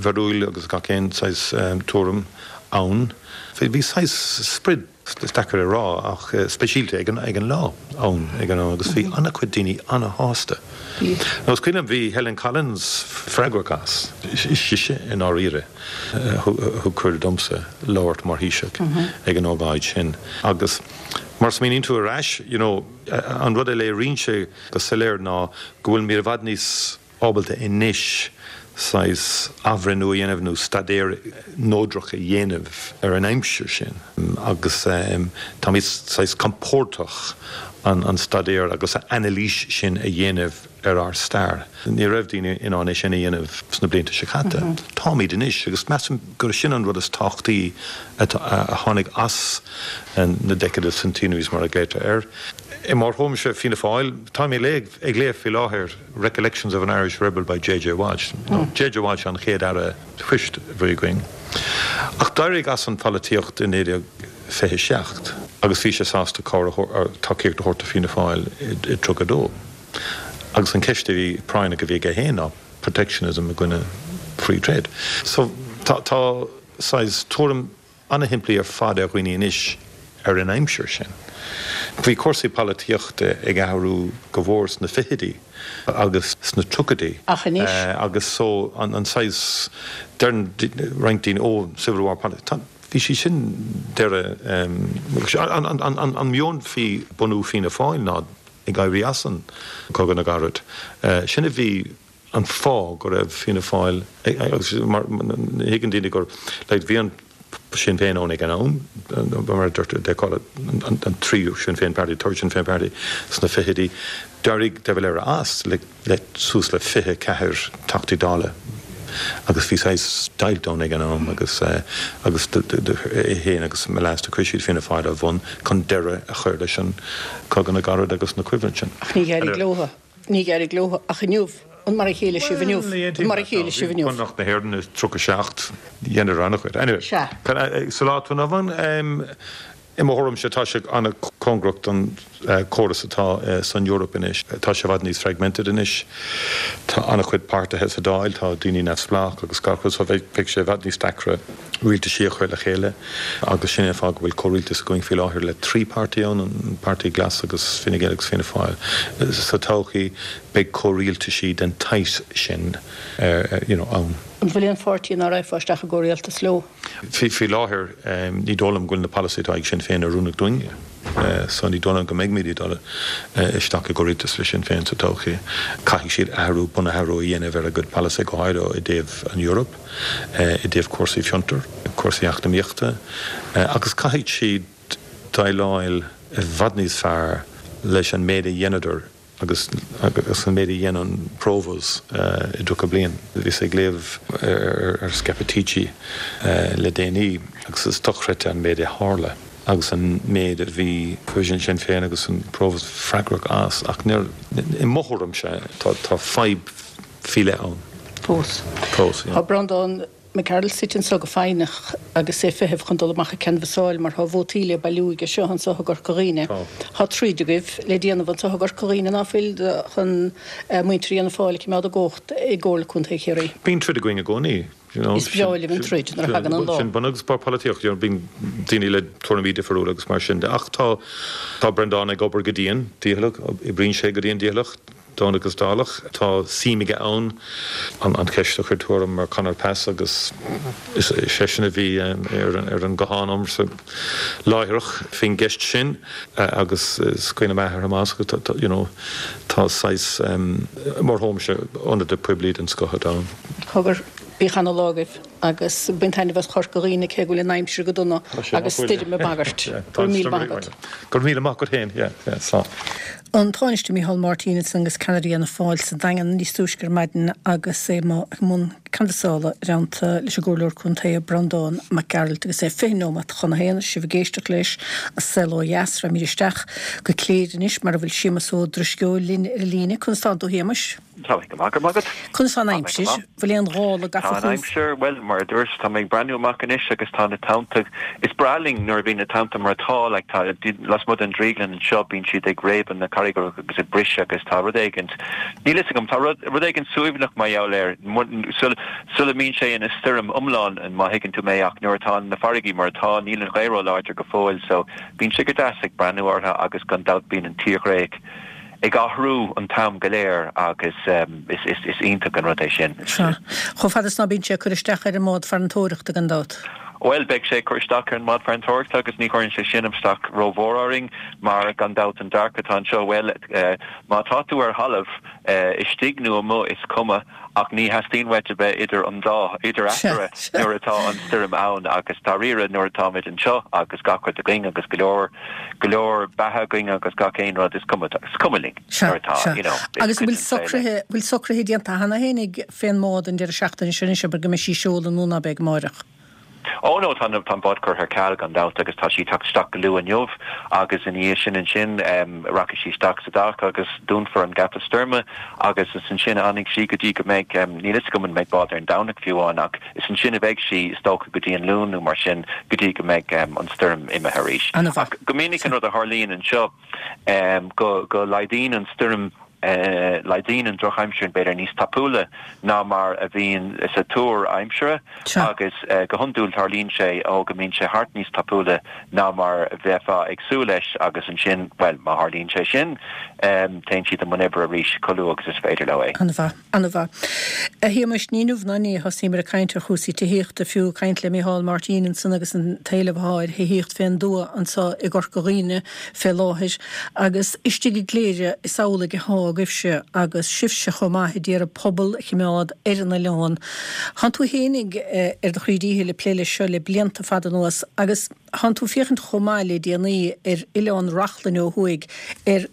bharúil agus gach aon saghas tuairim ann. Bhí saghas sprid. Is deacair a rá ach speisialta ag an ag an lá ann ag an am agus bhí an-chuid daoine an-shásta. Bhí. Nó is cuimhin liom bhí Helen Collins freagrach as, is sise i ndáiríre a thug cuireadh domsa labhairt mar Thaoiseach ag an ócáid sin agus mar smaoiníonn tú ar ais you know an rud a léiríonn sé go soiléir ná go bhfuilimid i bhfad níos ábalta anois saghas athbhreithniú a dhéanamh nó staidéar neodrach a dhéanamh ar an aimsir sin agus táimid saghas compordach an an staidéar agus an anailís sin a dhéanamh ar ár stair. Ní raibh daoine in ann é sin a dhéanamh sna blianta seo caite. Táimid anois agus measaim gur sin an rud is tábhachtaí a tháinig as na Decade of Centenaries mar a glaotar air. I mo thuairimse Fianna Fáil, tá mé ag léamh faoi láthair Recollections of an Irish Rebel by J J Walsh. J J Walsh an chéad aire poist a bhí againn. Ach d'éirigh as an pholaitíocht i naoi déag fiche seacht agus bhí sé sásta tacaíocht a thabhairt do Fianna Fáil i tríocha dó. Agus an ceist a bhí práinneach a bhí aige féin ná protectionism i gcoinne free trade. So tá tá saghas tuairim an-shimplí ar fad ar dhaoine anois ar an aimsir sin. Bhí cúrsaí polaitíochta ag athrú go mhór sna fichidí agus sna tríochaidí. Ach anois? Agus so an an saghas deireann roinnt daoine ó Civil War politics. Bhí sí sin deireadh an an an an meon faoi bunú Fianna Fáil ná ag éirí as an Cogadh na gCarad. Sin a bhí an fáth go raibh Fianna Fáil agus mar thuigeann daoine gur like bhí an Sinn Féin ann ag an am, mar a deirtear they call it an tríú Sinn Féin Party, third Sinn Féin Party sna fichidí. D'éirigh de Valera as le le suas le fiche ceathair Teachtaí Dála agus bhí saghas deighilt ann ag an am agus agus é féin agus Myles chuir siad Fianna Fáil ar bun chun deireadh a chur leis an Cogadh na gCarad agus na coimhlint sin. Ach ní d'éirigh leo, ní d'éirigh leo ach inniu an mar a chéile sibh inniu, an mar a chéile sibh inniu. Bunreacht na hÉireann i tríocha seacht dhéanamh an-chuid. Anyway, Sea. sa lá atá inniu ann, i mo thuairimse tá sé an-chóngarach don córas atá san Eoraip anois. Tá sé i bhfad níos fragmented anois. Tá an-chuid páirtithe sa Dáil, tá daoine neamhspleách agus gach rud, so bheidh sé i bhfad níos deacra rialtaisí a chur le chéile agus sin é an fáth go bhfuil comhrialtas againn faoi láthair le trí páirtí ann, an Páirtí Glas agus Fine Gael agus Fianna Fáil. Sa todhchaí beidh comhrialtaisí den tsaghas sin you know, ann. An bhfuil aon pháirtí nár raghfá isteach i gcomhrialtas leo? Faoi láthair ní dóigh liom go bhfuil na polasaithe atá ag Sinn Féin oiriúnach dúinne. So ní dóigh liom go mbeimid ag dul isteach i gcomhrialtas le Sinn Féin sa todhchaí. Caithfidh siad athrú bunathrú a dhéanamh ar a gcuid polasaithe go háirithe i dtaobh an Eoraip, i dtaobh cúrsaí fiontar, cúrsaí eacnamaíochta, agus caithfidh siad déileáil i bhfad níos fearr leis an méid a dhéanadar agus agus an méid a dhein an Provos i dtríocha bliain. Bhíos ag léamh ar Scappaticci le déanaí agus is dochreidte an méid a tharla agus an méid a bhí Sinn Féin agus an Provos freagrach as ach níor i mo thuairimse tá tá fadhb faoi leith ann. Fós. Fós, yeah. Tá Breandán Mac Gearailt suite anseo go foighneach agus é ag feitheamh chun dul amach ag canbhasáil mar tá vótaí le bailiú aige seo anseo i gCorca Dhuibhne. Tá. Tá troid agaibh le déanamh anseo i gCorca Dhuibhne ná fuil chun muintir Fhianna Fáil a choimeád i gcumhacht i gComhairle Contae Chiarraí. Bíonn troid againn i gcónaí. You know, Is breá libh an troid nuair a thagann an lá. Sin bun agus barr polaitíocht, you know, bíonn daoine le tuairimí difriúla agus mar sin de. Ach tá tá Breandán ag obair go dian, dícheallach, oibríonn sé go dian dícheallach, Domhnach agus Dálach. Tá suim aige ann an an cheist a chuir tú orm mar Conor Pass agus is seisean a bhí ar an ar an guthán agamsa láithreach faoin gceist sin agus is cuimhin liom athair Tomás agus tá you know tá saghas mar thuairimse ionadaí poiblí den scoth atá ann. Cogar, bíodh ana-lá agaibh agus bain taitneamh as Corca Dhuibhne cé go bhfuil an aimsir go dona agus stoirm ag bagairt. Go raibh míle maith agat. Go raibh míle maith agat féin, yeah, yeah, slán. An Tánaiste Micheál Martin ansan agus ceannaire Fhianna Fáil sa Daingean níos túisce ar maidin agus é i mbun canbhasála i dteannta leis an gComhairleoir Contae Breandán Mac Gearailt agus é fiche nóiméad chun a haon sibh ag éisteacht leis An Saol Ó Dheas. Raghaimid isteach go Cléire anois mar a bhfuil Séamus Ó Drisceoil linn ar an líne. Conas tánn tú a Shéamais? Tá mé go maith go maith agat. Conas tá an aimsir? Bhfuil aon ghála Tá gafa an chugaibh? aimsir, bhuel, mar a dúirt, tá mé ag breathnú amach anois agus tá na tonnta, is breá linn nuair a bhíonn na tonnta mar atá, like tá, lasmuigh den drioglann anseo bíonn siad ag réabadh na carraigeacha agus ag briseadh agus tá rud éigint, níl fhios agam, tá rud, rud éigint suaimhneach mar gheall air, sul, sula mbíonn sé ina stoirm iomlán, má thuigeann tú mé, ach nuair atá na farraigí mar atá, níl an ghaoth ró-láidir go fóill, so bíonn sé go deas ag breathnú orthu agus gan dabht bíonn an tírdhreach ag athrú an t-am go léir agus is, is, is iontach an rud é sin. Sea. Chomh fada is ná bíonn sé ag cur isteach ar an mbád farantóireachta gan dabht. Bhuel, beidh sé ag cur isteach ar an mbád farantóireachta agus ní chuireann sé sin isteach rómhór orainn mar gan dabht an dearcadh atá anseo, bhuel, má tá tú ar thalamh, istigh nó amuigh, is cuma, ach ní theastaíonn uait a bheith idir an dá, idir eatarthu nuair atá an stoirm ann agus dáiríre nuair atáimid anseo agus gach rud againn agus go leor, go leor beatha againn agus gach aon rud, is cuma, is cuma linn nuair atá, you know, is cuid den saol é. Agus bhfuil socruithe, bhfuil socruithe déanta cheana féin fén mbád an deireadh seachtaine seo anois, abair go mbeidh sí ag seoladh nó ná beidh amáireach? Ó no, tá an bád curtha ar ceal gan dabht agus tá sí ag teacht isteach go luath inniu agus ina dhiaidh sin ansin rachaidh sí isteach sa dock agus dúnfar an geata stoirme agus is ansin a fhanfaidh sí go dtí go mbeidh, níl fhios agam an mbeidh bád ar an Domhnach fiú amháin ach is ansin a bheidh sí is dócha go dtí an Luan nó mar sin go dtí go mbeidh an stoirm imithe arís. Ach go minic an rud a tharlaíonn anseo go go laghdaíonn an stoirm Laghdaíonn an drochaimsir b'fhéidir níos tapúla ná mar a bhíonn sa tuar aimsire agus go hiondúil tarlaíonn sé ó go mbíonn sé thart níos tapúla ná mar a bheifeá ag súil leis agus ansin, bhuel, má tharlaíonn sé sin, téann siad i mbun oibre arís chomh luath agus is féidir leo é. An-mhaith. An-mhaith. A Shéamuis, ní inniu ná inné a thosaíomar ag caint ar chúrsaí tithíochta, fiú ag caint le Micheál Martin ansan agus an t-éileamh atá ar thithíocht fén dtuath anso i gCorca Dhuibhne fé láthair. Agus istigh i gCléire is amhlaidh atá agaibhse agus sibhse chomh maith a d'iarraidh pobal a chimeád ar an oileán. Thánn tú fhéinig ar do chroí díchill ag plé leis seo le blianta fada anuas agus thánn tú féachaint chomh maith le déanaí ar Oileán Reachlainn ó thuaidh ar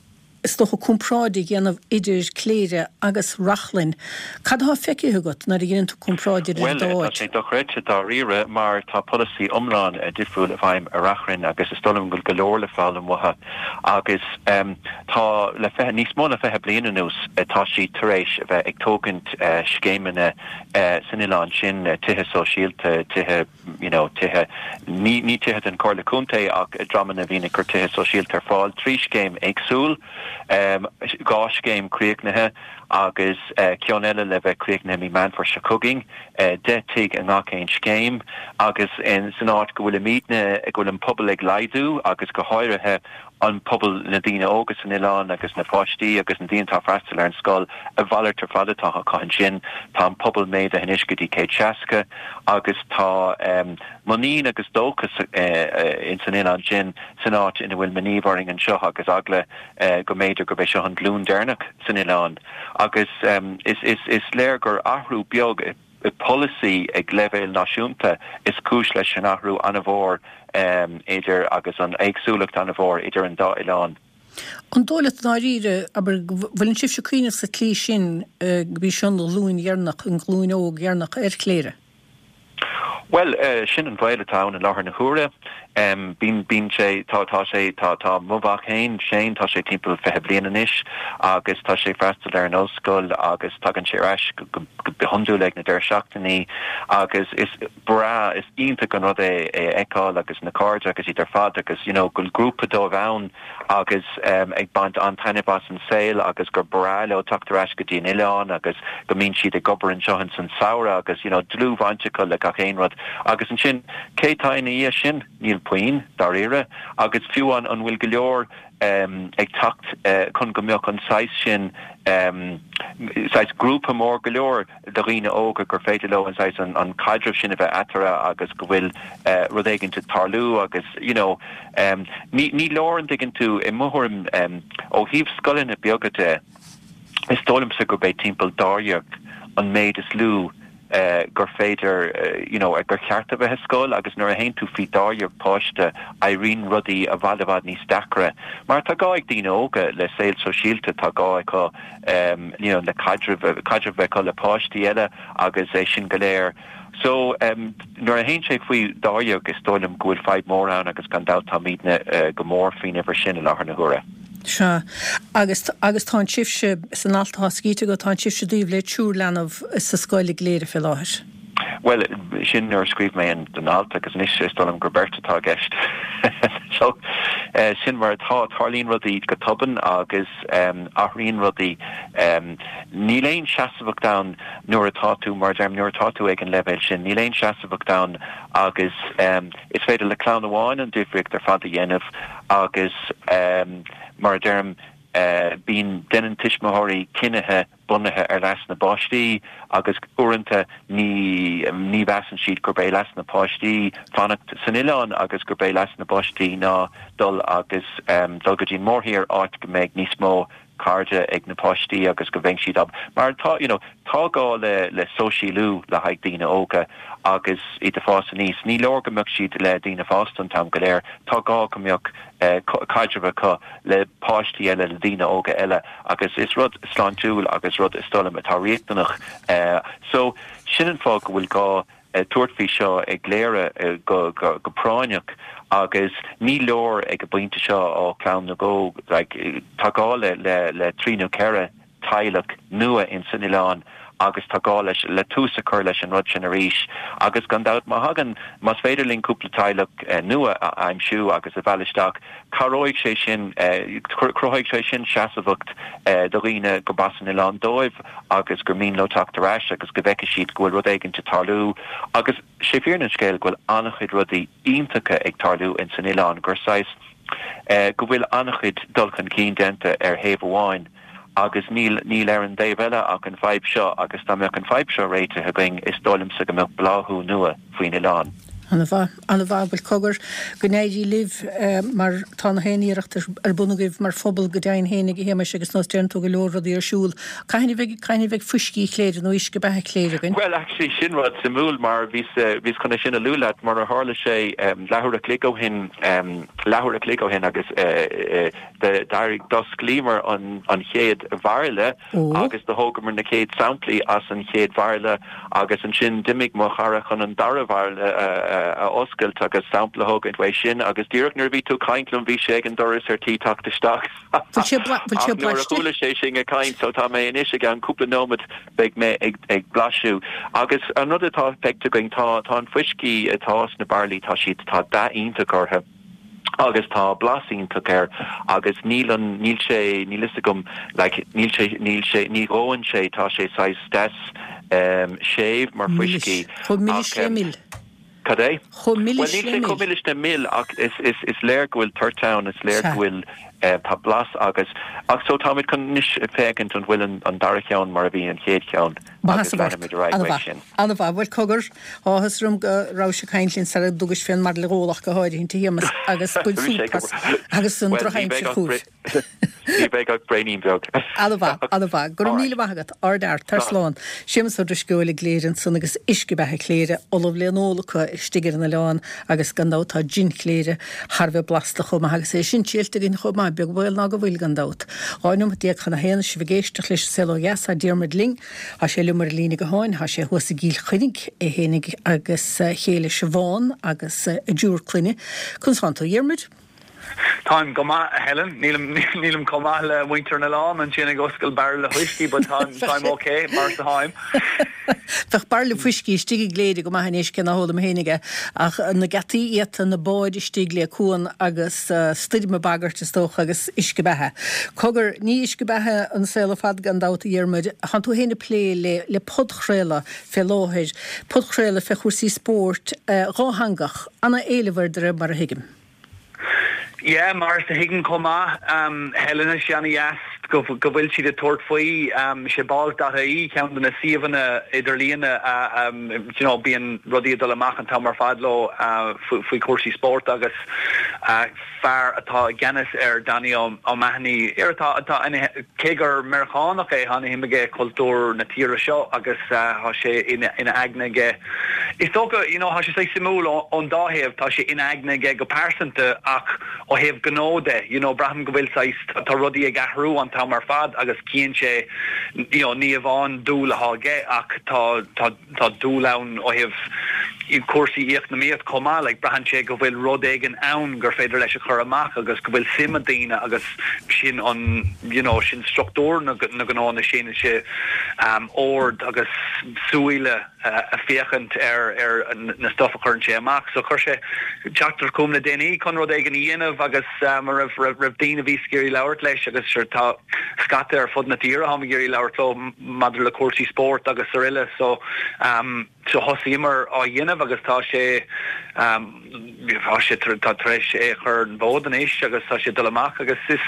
is dócha, comparáid a dhéanamh idir Cléire agus Reachlainn. Cad atá feicthe agat nuair a dheineann tú comparáid idir an Bhuel, dá tá áit? sé dochreidte dáiríre mar tá polasaí iomlán difriúil i bhfeidhm i Reachrainn agus is dóigh liom go bhfuil go leor le foghlaim uathu agus tá le fiche, níos mó ná fiche bliain anuas tá siad tar éis a bheith ag tógaint scéimeanna san oileán sin, tithe sóisialta, tithe. you know tithe, ní ní tithe den Chomhairle Contae ach dreamanna a bhíonn ag cur tithe sóisialta ar fáil trí scéim éagsúil, dhá scéim críochnaithe agus ceann eile le bheith críochnaithe mí Meán Fómhair seo chugainn, deich tigh i ngach aon scéim agus san áit go bhfuilimidne, go bhfuil an pobal ag laghdú agus go háirithe an pobal, na daoine óga san oileán agus na páistí agus na daoine atá ag freastal ar an scoil, a mhalairt ar fad atá acu ansin. Tá an pobal méadaithe anois go dtí céad seasca agus tá muinín agus dóchas ins an oileán sin, san áit ina bhfuil m'iníomh orainn anseo agus eagla go mb'fhéidir gurb é seo an glúin deireanach san oileán. Agus is léir gur athrú beag i. polasaí ag leibhéal náisiúnta is cúis leis an athrú an-mhór idir agus an éagsúlacht an-mhór idir an dá oileán. An dóigh leat i ndáiríre, abair, go bhfuileann sibhse ag cuimhneamh sa tslí sin gurb í seo an ghlúin dheireanach, an ghlúin óg dheireanach ar Chléire? Bhuel, sin an baol atá ann i láthair na huaire. Bíonn, bíonn sé, tá, tá sé, tá, tá mo mhac féin, Shane, tá sé timpeall fiche bliain anois agus tá sé ag freastal ar an ollscoil agus tagann sé ar ais go, go, go hiondúil ag na deireadh seachtainí agus is breá, is iontach an rud é é a fheiceáil agus na cairde agus iad ar fad agus you know go bhfuil grúpa dóibh ann agus ag baint an-taitneamh as an saol agus gur breá leo teacht ar ais go dtí an oileán agus go mbíonn siad ag obair anseo ins an samhradh agus you know dlúthbhaint acu le gach aon rud agus ansin cé tá ina dhiaidh sin? Níl puinn, dáiríre, agus fiú an an bhfuil go leor ag teacht chun go mbeadh an saghas sin saghas grúpa mór go leor de dhaoine óga gur féidir leo an saghas an caidreamh sin a bheith eatarthu agus go bhfuil rud éigin ag tarlú agus you know ní ní leor an dtuigeann tú i mo thuairim ó thaobh scoileanna beaga de is dóigh liomsa gurb é timpeall dáréag an méid is lú gur féidir you know gur cheart a bheith i scoil agus nuair a théann tú faoi dáréag páiste éiríonn rudaí i bhfad i bhfad níos deacra mar tá gá ag daoine óga le saol sóisialta tá gá acu you know le caidreamh caidreamh a bheith acu le páistí eile agus é sin go léir so nuair a théann sé faoi dáréag is dóigh liom go bhfuil fadhb mór ann agus gan dabht táimidne go mór faoin uimhir sin i láthair na huaire. Sea. Agus, agus tánn sibhse, san alt atá scríte agat, tánn sibhse i dtaobh le triúr leanbh sa scoil i gCléire fé láthair. Bhuel, sin nuair a scríobh mé an alt agus anois is dóigh liom gur beirt atá i gceist. So, sin mar atá. Tarlaíonn rudaí go tobann agus athraíonn rudaí. Níl aon seasmhacht ann nuair atá tú, mar a deirim, nuair atá tú ag an leibhéal sin, níl aon seasmhacht ann agus is féidir le clann amháin an difríocht ar fad a dhéanamh agus mar a deirim, Bíonn déanann tuismitheoirí cinnithe bunaithe ar leas na bpáistí agus uaireanta ní ní mheasann siad gurb é leas na páistí fanacht san oileán agus gurb é leas na bpáistí ná dul agus um, dul go dtí mórthír áit go mbeidh níos mó cairde ag na páistí agus go mbeidh siad ab mar tá you know, tá gá le le sóisialú le haghaidh daoine óga agus iad ag fás aníos ní leor go mbeadh siad le daoine fásta an t-am go léir tá gá go mbeadh eh, caidreamh acu le páistí eile le daoine óga eile agus is rud sláintiúil agus rud is dóigh liom atá riachtanach eh, so sin an fáth go bhfuil gá eh, tabhairt faoi seo i gCléire eh, go, go, go práinneach agus ní leor ag an bpointe seo ó clann nó dhó like, tá gá le le le trí nó ceithre teaghlach nua in san oileán agus tá gá leis le tús a chur leis an rud sin arís agus gan dabht má thagann más féidir linn cúpla teaghlach eh, nua a aimsiú agus a mhealladh isteach cabhróidh sé sin eh, cruthóidh sé sin seasamhacht eh, do dhaoine gurb as an oileán dóibh agus gur mian leo teacht ar ais agus go bhfeicfidh siad go bhfuil rud éigin ag tarlú agus sé fírinne an scéil go bhfuil an-chuid rudaí iontacha ag tarlú in san oileán gur saghas eh, go bhfuil an-chuid dul chun cinn déanta ar thaobh amháin agus níl níl ar an dtaobh eile ach an fadhb seo agus dá mbeadh an fadhb seo réitithe againn is dóigh liomsa go mbeadh bláthú nua faoin oileán. An-mhaith an-mhaith bhuel cogar go n-éirí libh eh, mar tá na haon iarracht ar bun agaibh mar phobal go deimhin féin a Shéamais agus nós déanann tú go leor rudaí ar siúl. Cathain a bheidh cathain a bheidh fuiscí Chléire nó uisce beatha Chléire againn. Well actually sin rud suimiúil mar bhí bhí chun sin a lua leat mar a tharla sé um, leathuair a chloig ó shin um, leathuair a chloig ó shin agus uh, uh, d'éirigh d'osclaíomar an an chéad bhairille agus do thógamar na chéad samplaí as an chéad bhairille agus ansin d'imigh mo chara chun an dara bhairille uh, a oscailt agus sampla thógaint uaidh sin agus díreach nuair bhí tú ag caint liom bhí sé ag an doras ar tí teacht isteach. Chuala sé sinn ag caint so tá mé anois ag an cúpla nóiméad beidh mé ag ag blaiseadh. Agus an rud atá feicthe againn tá tá an fuiscí atá sna bairillí tá siad tá dath iontach orthu. agus tá blas iontach air agus níl an níl sé níl fhios agam like, níl sé níl sé ní dhóann sé tá sé saghas des um, séimh mar fuiscí. Chomh milis le mil. Cad é? Chomh milis Well, níl sé chomh milis le mil ach is, is, is léir go bhfuil toirt ann is léir go bhfuil uh, tá blas agus ach so táimid chun anois féachaint an bhfuil an, an dara ceann mar a bhí an chéad cheann agus leanfaimid ar aghaidh uaidh sin. An-mhaith bhuel cogar áthas orm go raibh sé caint linn sara dtugais fén mbairille a ól ach go háirithe a Shéamais agus buil súpas agus an drochaimsir chugaibh. Ní bheidh ach braoinín beag. An-mhaith an-mhaith, go raibh míle maith agat ardfhear tar slán. Séamus Ó Drisceoil i gCléire ansan agus uisce beatha Chléire ullamh le n-ól acu istigh ar an oileán agus gan dabht tá jin Chléire thar bheith blasta chomh maith agus é sin triailte againn chomh maith beag baol ná go bhfuil gan dabht. Dhá nóiméad déag chun a haon sibh ag éisteacht leis an Saol Ó Dheas tá Diarmuid linn, Tá sé liom ar líne gutháin, tá sé thuas i gCill Chainnigh é fhéinig agus a chéile Siobhán agus a dtriúr clainne. Conas tánn tú a Dhiarmuid? Táim go maith a Helen nílim nílim chomh maith le muintir an oileáin ansin ag oscailt bairille fuiscí but táim táim ok mar is atáim. Bheadh bairille fuiscí istigh i gCléire go maith anois cé ná hólaim féinig é ach na geataí iata na báid istigh le cuan agus stoirm ag bagairt is dócha agus uisce beatha. Cogar ní uisce beatha an saol ar fad gan dabht a Dhiarmuid, tánn tú féin ag plé le le podchraoladh fé láthair, podchraoladh fé chúrsaí spóirt dhátheangach, ana-éileamh air de réir mar a thuigim. Yeah, mar is a thuigim chomh maith, um, Helen is an-dheas go go bhfuil siad ag tabhairt faoi um, sé balls dot ie ceann de na suíomhanna idirlíne uh, um, you know, bíonn rudaí ag dul amach an t-am ar fad leo uh, faoi chúrsaí spóirt agus uh, fear atá i gceannas ar Danny O'Mahony ar atá atá cé gur Meiriceánach é tá an-shuim aige cultúr na tíre seo agus uh, tá sé ina ina aigne aige. Is dócha you know, tá sé sé suimiúil ón dá thaobh tá sé ina aigne aige go pearsanta ach ó thaobh gnó de you know, braithim go bhfuil tá rudaí ag athrú an t-am ar fad agus cíonn sé you know, ní amháin dúil atá aige ach tá tá tá dúil ann ó thaobh cúrsaí eacnamaíocht chomh maith like braitheann sé go bhfuil rud éigin ann gur féidir leis a chur amach agus go bhfuil suim ag daoine agus sin an you know, sin struchtúr na na gnónna sin sé um, ord agus súile uh, a féachaint ar ar na stuff a chuireann sé amach so chuir sé teachtaireacht chugam le déanaí chun rud éigin a dhéanamh agus um, raibh raibh raibh daoine a bhí ag iarraidh labhairt leis agus sure tá scata ar fud na tíre ag iarraidh labhairt leo maidir le cúrsaí spóirt agus araile so um, So thosaíomar á dhéanamh agus tá sé tá sé tá tar éis é a chur ar an bhfód anois agus tá sé ag dul amach agus is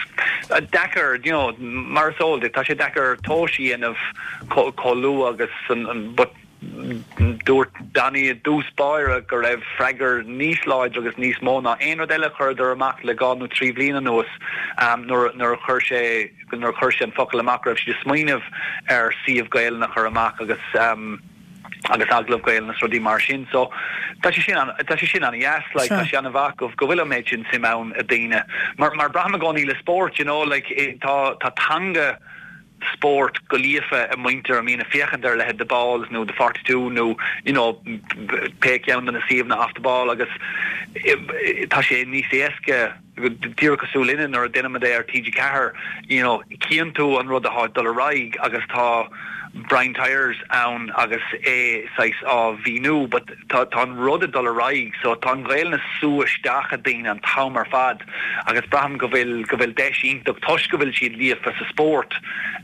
deacair you know mar is eol duit tá sé deacair tomhas a dhéanamh chomh luath agus an but dúirt Danny i dtús báire go raibh freagra níos láidre agus níos mó ná aon rud eile a chuireadar amach le dhá nó trí bhliain anuas nuair nuair a chuir sé nuair a chuir sé an focal amach go raibh siad ag smaoineamh ar suíomh Gaelainne a chur amach agus agus agallamh Gaelainne is rudaí mar sin. So tá sé sin tá sé sin an-dheas like tá sé an-mhaith go go bhfuil an méid sin suim ann ag daoine. Mar mar braithim i gcónaí le spórt you know like tá tá teanga spóirt go líofa ag muintir a mbíonn ag féachaint ar a leithéid The Balls nó The Forty Two nó you know pé ceann de na suíomhanna Off the Ball agus tá sé níos éasca díreach cosúil linne nuair a déanaimid é ar T G ceathair you know cíonn tú an rud atá ag dul ar aghaidh agus tá Brian Tyers ann agus é saghas á mhíniú but tá tá an rud ag dul ar aghaidh so tá an Ghaelainn ag sú isteach i daoine an t-am ar fad agus braithim go bhfuil go bhfuil deis iontach toisc go bhfuil siad líofa sa spórt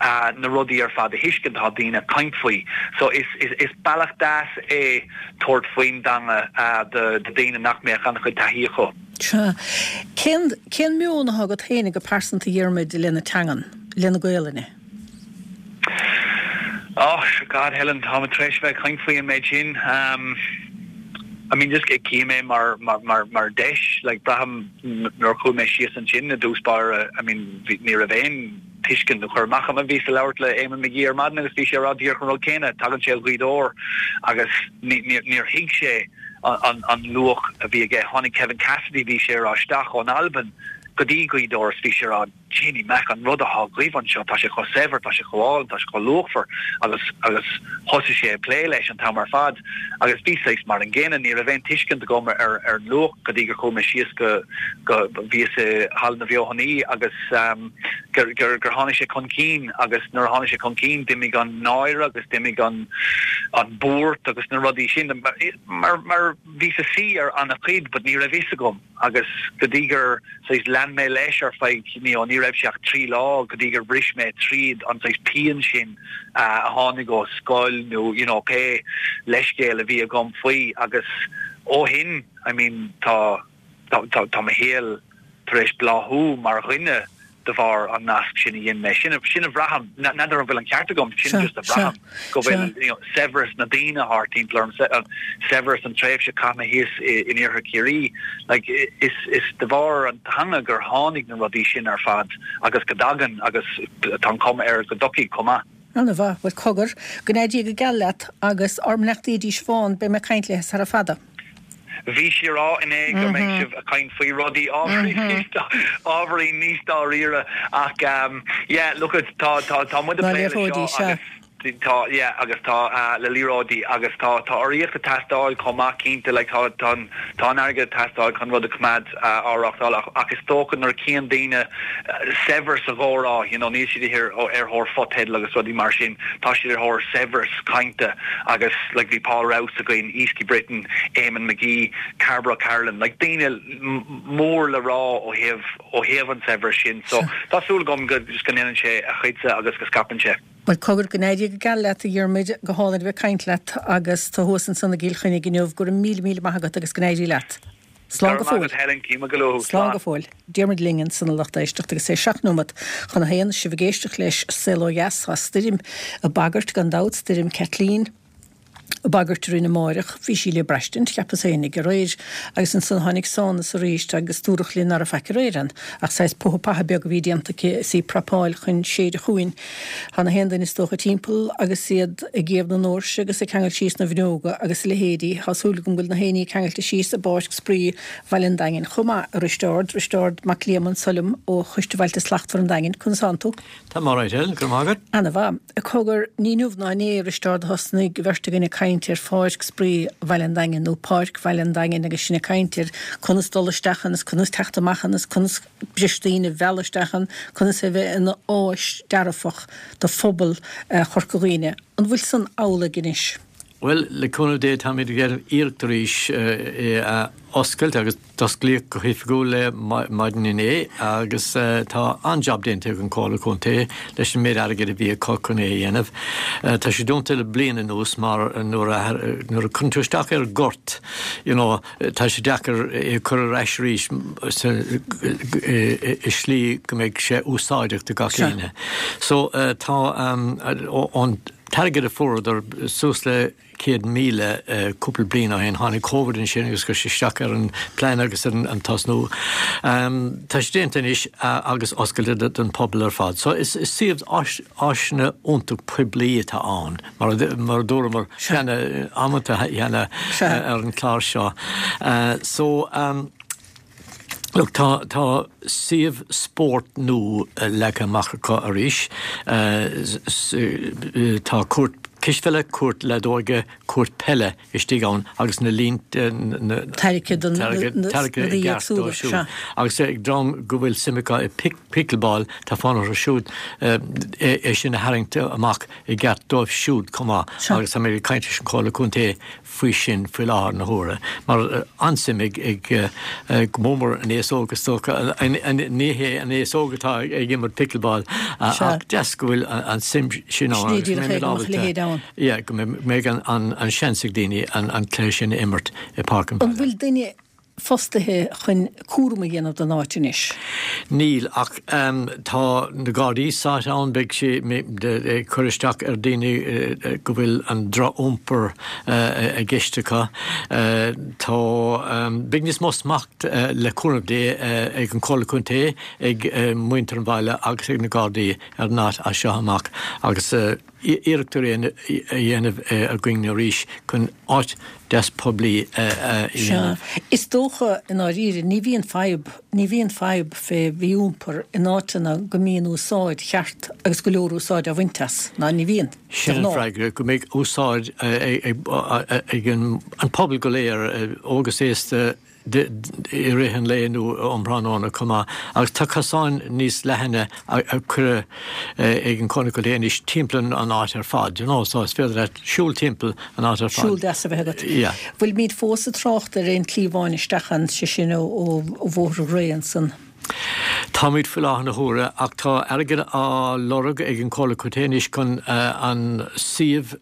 na rudaí ar fad a thuiscint atá daoine ag caint faoi so is is is bealach deas é tabhairt faoin dteanga do do daoine nach mbeadh an-chuid taithí acu. Sea. Cén cén meon atá agat féinig go pearsanta a Dhiarmuid le na teangan, le na Gaelainne? Oh God Helen, táimid tar éis bheith ag caint faoi an méid sin. I mean just cím é mar mar mar mar deis, like braithim nuair a chuaigh mé síos ansin i dtús báire, I mean bhí ní raibh aon tuiscint nó cur amach agam. Bhíos ag labhairt le Eamon McGee ar maidin agus bhí sé ag rá díreach an rud céanna, tagann sé ó Ghaoth Dobhair agus ní ní níor thuig sé an an luach a bhí aige. Tháinig Kevin Cassidy, bhí sé ag rá, isteach ón Albain go dtí Gaoth Dobhair is bhí sé ag rá, Jeannie Mac, an rud atá agaibh anseo, tá sé chomh saibhir, tá sé chomh álainn, tá sé chomh luachmhar agus agus thosaigh sé ag plé leis an t-am ar fad agus bhí saghas mar an gcéanna, ní raibh aon tuiscint agam ar ar an luach go dtí gur chuaigh mé síos go go bhíos i Halla na bhFeothanaí agus gur gur gur tháinig sé chun cinn agus nuair a tháinig sé chun cinn d'imigh an náire agus d'imigh an an buairt agus na rudaí sin mar mar bhíos ag suí ar an-chuid but ní raibh fhios agam agus go dtí gur saghas lean mé leis ar feadh you know ní raibh sé ach trí lá go dtí gur bhris mé tríd an saghas pian sin a tháinig ó scoil nó you know pé leithscéal a bhí agam faoi agus ó shin I mean tá tá tá tá mo shaol tar éis bláthú mar dhuine de bharr an nasc sin a dhein mé. Sin sin a bhraithim, n'fheadar an bhfuil an ceart agam, sin just a bhraithim, go bhfuil you know saibhreas na daoine thart timpeall orm, saibhreas an tréimhse a chaith mé thíos in iarthar Chiarraí, like is is de bharr an teanga gur tháinig na rudaí sin ar fad agus go dtagann agus tá an chuma air go dtiocfaidh chomh maith. Ana mhaith. Bhuel, cogar, go n-éirí Dia go geal leat agus ár mbeannachtaí di Siobhán, beidh mé ag caint léi sara fada. Bhí sí ag rá inné go mbeidh sibh ag caint faoi rudaí ábhairín níos dáiríre ach yeah look it tá tá tá muid ag plé leis seo agus tá yeah agus tá le liathróidí agus tá tá urraíocht ag teastáil chomh maith cinnte like tá tá tá an airgead ag teastáil chun rud a choimeád á reáchtáil ach ach is dócha nuair a chíonn daoine saibhreas sa gcomhrá you know níl siad ar thóir fotheidil agus rudaí mar sin tá siad ar thóir saibhreas cainte agus like bhí Paul Rouse againn, Easkey Britton, Eamon McGee, Cairbre O'Carolan, like daoine mór le rá ó thaobh ó thaobh an saibhreas sin so tá súil agam go just go ndéanann sé a chuidse agus go scaipeann sé. Bhuel cogar, go n-éirí go geal leat a Dhiarmuid, go hálainn a bheith ag caint leat agus tú thuas ansan i gCill Chainnigh inniu, go raibh míle míle maith agat agus go n-éirí leat. Slán go fóill. Slán go fóill. Diarmuid linn ansan a lucht éisteachta agus é seacht nóimeat chun a haon. Sibh ag éisteacht leis Saol Ó Dheas. Tá stoirm ag bagairt gan dabht, stoirm Kathleen ag bagairt orainn amáireach. Bhí sí le braistint, cheapas fhéinig, aréir agus ansan tháinig sonas arís agus dúradh linn ná raibh faic aréir ann ach saghas putha patha beag a bhí déanta aici is í ag prapáil chun séideadh chugainn. Tá na haon duine is dócha timpeall agus iad ag iamh na ndoirse agus ag ceangailt síos na bhfuinneoga agus a leithéidí. Tá súil agam go bhfuil na héinní ceangailte síos i bPáirc Spraoi Bhaile an Daingin chomh maith, a Risteárd, Risteárd Mac Liam anso liom ó Choiste Bhailte Slachtmhar an Daingin. Conas tánn tú? Tá mé alright, Helen, go raibh maith agat. Ana-mhaith. Cogar, ní inniu ná inné, a Risteárd, a thosnaigh an bheirt againn ag caint ar Pháirc Spraoi Bhaile an Daingin nó Páirc Bhaile an Daingin agus sinn ag caint ar conas dul isteach ann is conas teacht amach ann is conas breis daoine a mhealladh isteach ann, conas é a bheith ina áis dearfach do phobal Chorca Dhuibhne. An bhfuil san amhlaidh anois? Bhuel, le cúnamh Dé táimid ag déanamh iarracht arís é a oscailt agus d'osclaíodh go hoifigiúil é maidin inné agus tá an-jab déanta ag an Chomhairle Contae leis an méid airgid a bhí acu chun é a dhéanamh. Tá sé dúnta le bliain anuas mar nuair a nuair a cuireann tú isteach ar ghort you know tá sé deacair é a chur ar ais arís i slí go mbeidh sé úsáideach do gach éinne. So tá an t-airgead a fuaireadar suas le céad míle cúpla bliain ó shin. Tháinig Covid ansin agus chuir sé isteach ar an plean agus ar an tosnú. Tá sé déanta anois agus oscailte don pobal ar fad. So is suíomh áiseanna iontach poiblí atá ann, mar a dúramar cheana amanta cheana ar an chlár seo. So. Look, tá, tá suíomh spóirt nua leagtha amach acu arís. Tá cúirt cispheile, cúirt leadóige, cúirt peile istigh ann agus na línte, na. Tarraicthe don, na, na, tarraicthe i gceart dóibh siúd. Agus ag dream go bhfuil suim acu i pickleball, tá fonn orthu siúd é sin a tharraingt amach i gceart dóibh siúd chomh maith. Agus tá mé ag caint leis an Chomhairle Contae faoi sin faoi láthair na huaire, mar an-suim ag go mór mór an aos óg is dócha, ní hé an aos óg atá ag imirt pickleball ach deas go bhfuil an suim sin ann agus go mbeidh ábalta, yeah, go mbeidh an seans ag daoine an cluiche sin a imirt i bPáirc an Bhaile. An bhfuil duine fostaithe chun cúram a dhéanamh den áit anois? Níl, ach tá na Gardaí sáite ann, beidh sé ag cur isteach ar daoine go bhfuil an droch-iompar i gceist acu. Tá, beidh níos mó smacht le cúnamh Dé ag an Chomhairle Contae, ag muintir an bhaile agus ag na Gardaí ar an áit as seo amach agus iarracht á dhéanamh againn arís chun áit deas poiblí a dhéanamh. Sea. Is dócha, i ndáiríre, ní bhíonn fadhb, ní bhíonn fadhb fé mhí-iompar in áiteanna go mbíonn úsáid cheart agus go leor úsáid á bhaint as, ná ní bhíonn, de Sin an ghnáth. freagra, go mbeidh úsáid ag an pobal go léir, óg is aosta, i rith an lae nó um thráthnóna chomh maith. Agus tá cosáin níos leathana a cuireadh ag an Chomhairle Contae anois timpeall an áit ar fad, you know, so is féidir leat siúl timpeall an áit ar fad. Siúl deas a bheith agat. Yeah. Bhfuilimid fós ag trácht ar aon chliabhán isteach ann, sé sin ó Bhóthar Ghrae ansan? Táimid faoi láthair na huaire ach tá airgead á lorg ag an Chomhairle Contae anois chun an suíomh,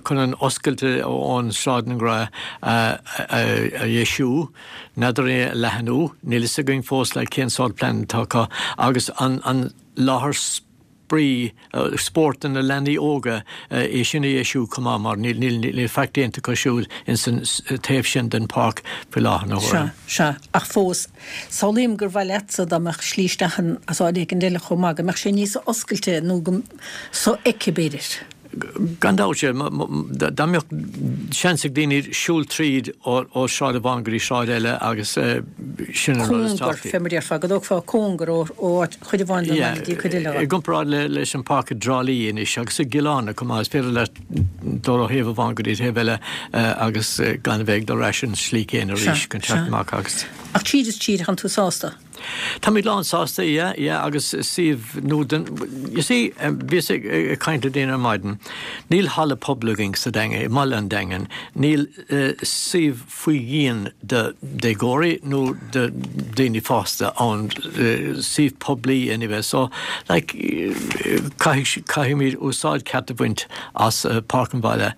chun an oscailt ón Sráid na nGraí a dheisiú, n'fheadar é a leathnú, níl fhios againn fós like cén sórt plean atá acu agus an láthair spraoi, spóirt do na leanaí óga, é sin a dheisiú chomh maith mar níl faic déanta acu siúd ins an taobh sin den pháirc faoi láthair na huaire. Sea, sea. Ach fós, samhlaím gur mhaith leatsa dá mbeadh slí isteach ann as áit éicint eile chomh maith, go mbeadh sé níos oscailte nó go sofheicthe b'fhéidir. Gan dabht, sea. Dá mbeadh seans ag daoine siúl tríd ó shráid amháin go dtí sráid eile agus sin an rud is Cóngar, tábhachtaí. fé mar a déarfá, go dtógfá cóngar ó áit, chuid amháin den bhaile go dtí cuid eile I dhe. gcomparáid leis an pháirc i dTrá Lí anois agus i gCill Airne chomh maith, is féidir leat dul ó thaobh amháin go dtí taobh eile agus gan a bheith ag dul ar ais an slí céanna Sea, arís chun teacht sea. amach agus. Ach tríd is tríd, tánn tú sásta? Táimid lán sásta, yeah, yeah, agus suíomh nua den, you see, bhíos ag caint le daoine ar maidin, níl halla pobail againn sa Daingean, i mbaile an Daingin, níl suíomh faoi dhíon do déagóirí nó do daoine fásta ann, suíomh poiblí anyway, so, like, caithfidh, caithfimid úsáid ceart a bhaint as Páirc an Bhaile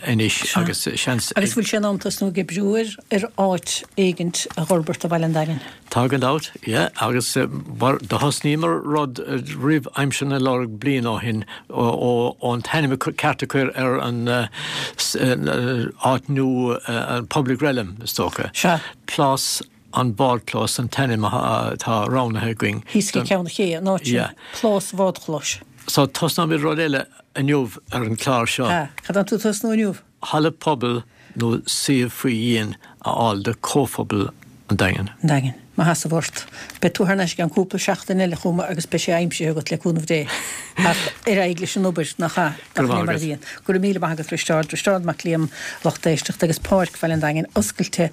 anois agus seans. Agus bhfuil sé in am tosnú ag oibriú ar, ar áit éigint a dh'fhorbairt do Bhaile an Daingin? Tá gan dabht, yeah, agus mar do thosnaíomar rud roimh aimsir na Nollag bliain ó shin ón t-ainm ceart a chur ar an áit nua, an Public Realm, is dócha. Sea. Plás an Bhádchlóis an t-ainm atá roghnaithe againn. Thíos ag Ceann an Ché, an áit sin. Yeah. Plás Bhádchlóis. So tosnóimid rud eile inniu ar an chlár seo. Ah, cad tá tú tosnú inniu? Halla pobail nó suíomh faoi dhíon a fháil do chomhphobal an Daingin. An Daingin. Mo sheasamh ort. Beidh tú thar n-ais i gceann cúpla seachtain eile chugam agus beidh sé aimsithe agat le cúnamh Dé. Ach ar aghaidh leis an obair, nach ea? Go Gach raibh ní maith mar a agat. bhíonn. Go raibh míle maith agat, Risteárd. Risteárd Mac Liam, lucht éisteachta, agus Páirc Bhaile an Daingin oscailte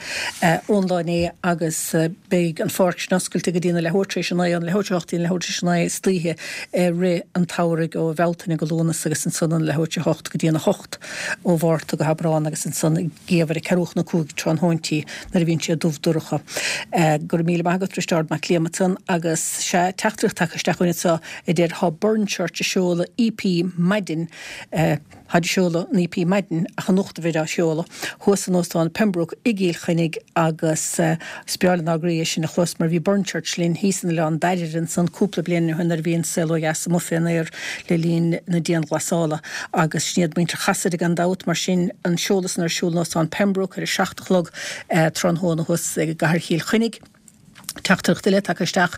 ón lá inné agus beidh an pháirc sin oscailte go dtí na leathuair tar éis a naoi, ón leathuair tar éis a hocht go dtí an leathuair tar éis a naoi istoíche i rith an tsamhraidh ó Bhealtaine go Lúnasa agus ansan ón leathuair tar éis a hocht go dtí an a hocht ó Mhárta go hAibreán agus ansan i ngeimhreadh ceathrú chun a cúig tráthnóintí nuair a bhíonn sé dubh dorcha. Go raibh míle maith agat Risteárd Mac Liam ansan agus sea teachtaireacht tagtha isteach chugainn anseo a deir Thá Burren Church ag seoladh EP maidin Táid ag seoladh an EP maidin ach anocht a bheidh á sheoladh thuas in Óstán Pembroke i gCill Chainnigh agus is breá lenár gcroí é sin a chlos mar bhí Burren Church linn thíos in Oileán Dairbhre ansan cúpla bliain ó shin nuair a bhí an Saol Ó Dheas amuigh fén aer le linn na dianghlasála agus sin iad muintir Chasaide gan dabht mar sin an seoladh san ar siúl in Óstán Pembroke ar a seacht a chlog tráthnóna thuas i gcathair Chill Chainnigh. Teachtaireacht eile tagtha isteach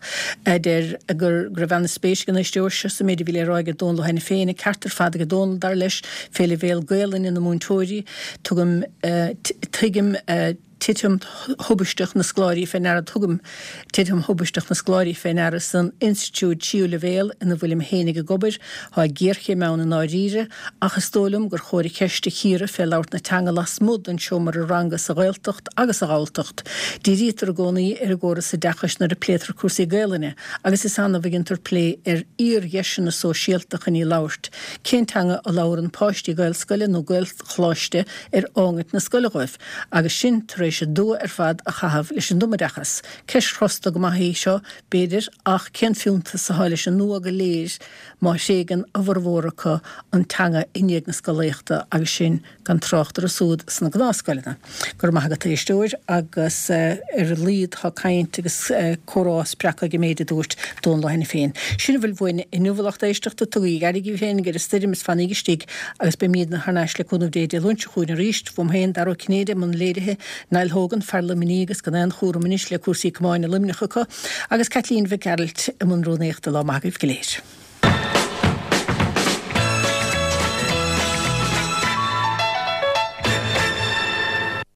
a deir go raibh an-spéis ag an éisteoir seo sa méid a bhí le rá ag Dónal Ó hAiniféin, an ceart ar fad ag Dónal, dar leis, fé leibhéal Gaelainne na múinteoirí. Tugaim, tuigim titim thubaisteach na scoláirí fé ndeara Tugaim titim thubaisteach na scoláirí fé ndeara san institiúid tríú leibhéal ina bhfuilim fhéinig ag obair. Tá géarchéim ann i ndáiríre, ach is dóigh liom gur chóir an cheist a chíoradh fé labhairt na teanga lasmuigh den seomra ranga sa Ghaeltacht agus sa Ghalltacht. Dírítear i gcónaí ar an gcóras oideachais nuair a pléitear cúrsaí Gaelainne agus is annamh a dhéantar plé ar fhíordheiseanna sóisialta chun í labhairt. Cén teanga a labhrann páistí Gaelscoile nó Gaelcholáiste ar fhágaint na scoile dhóibh? Agus sin tar éis a dua ar fad a chaitheamh leis an dtumoideachas. Ceist chrosta go maith í seo, b'fhéidir, ach cén fiúntas atá leis an dua go léir má thréigeann a bhformhór acu an teanga i ndiaidh na scolaíochta agus sin gan trácht orthu siúd sna gnáthscoileanna. Go raibh maith agat, a éisteoir, agus ar a laghad tá caint agus comhrá spreagtha ag an méid a dúirt Dónal Ó hAiniféin. Sin a bhfuil uainn inniu, a lucht éisteachta, tugaigí aire daoibh féin ar an stoirm is fanaíg istigh agus beimídne thar n-ais le cúnamh Dé Dé Luain seo chugainn arís. Uaim féin, Dara Ó Cinnéide, i mbun léirithe, Niall Hogan, fear Luimnigh agus gan aon chúram anois le cúrsaí camáin i Luimneach acu, agus Caitlín Mhic Gearailt i mbun rúnaíochta. Lá maith agaibh go léir.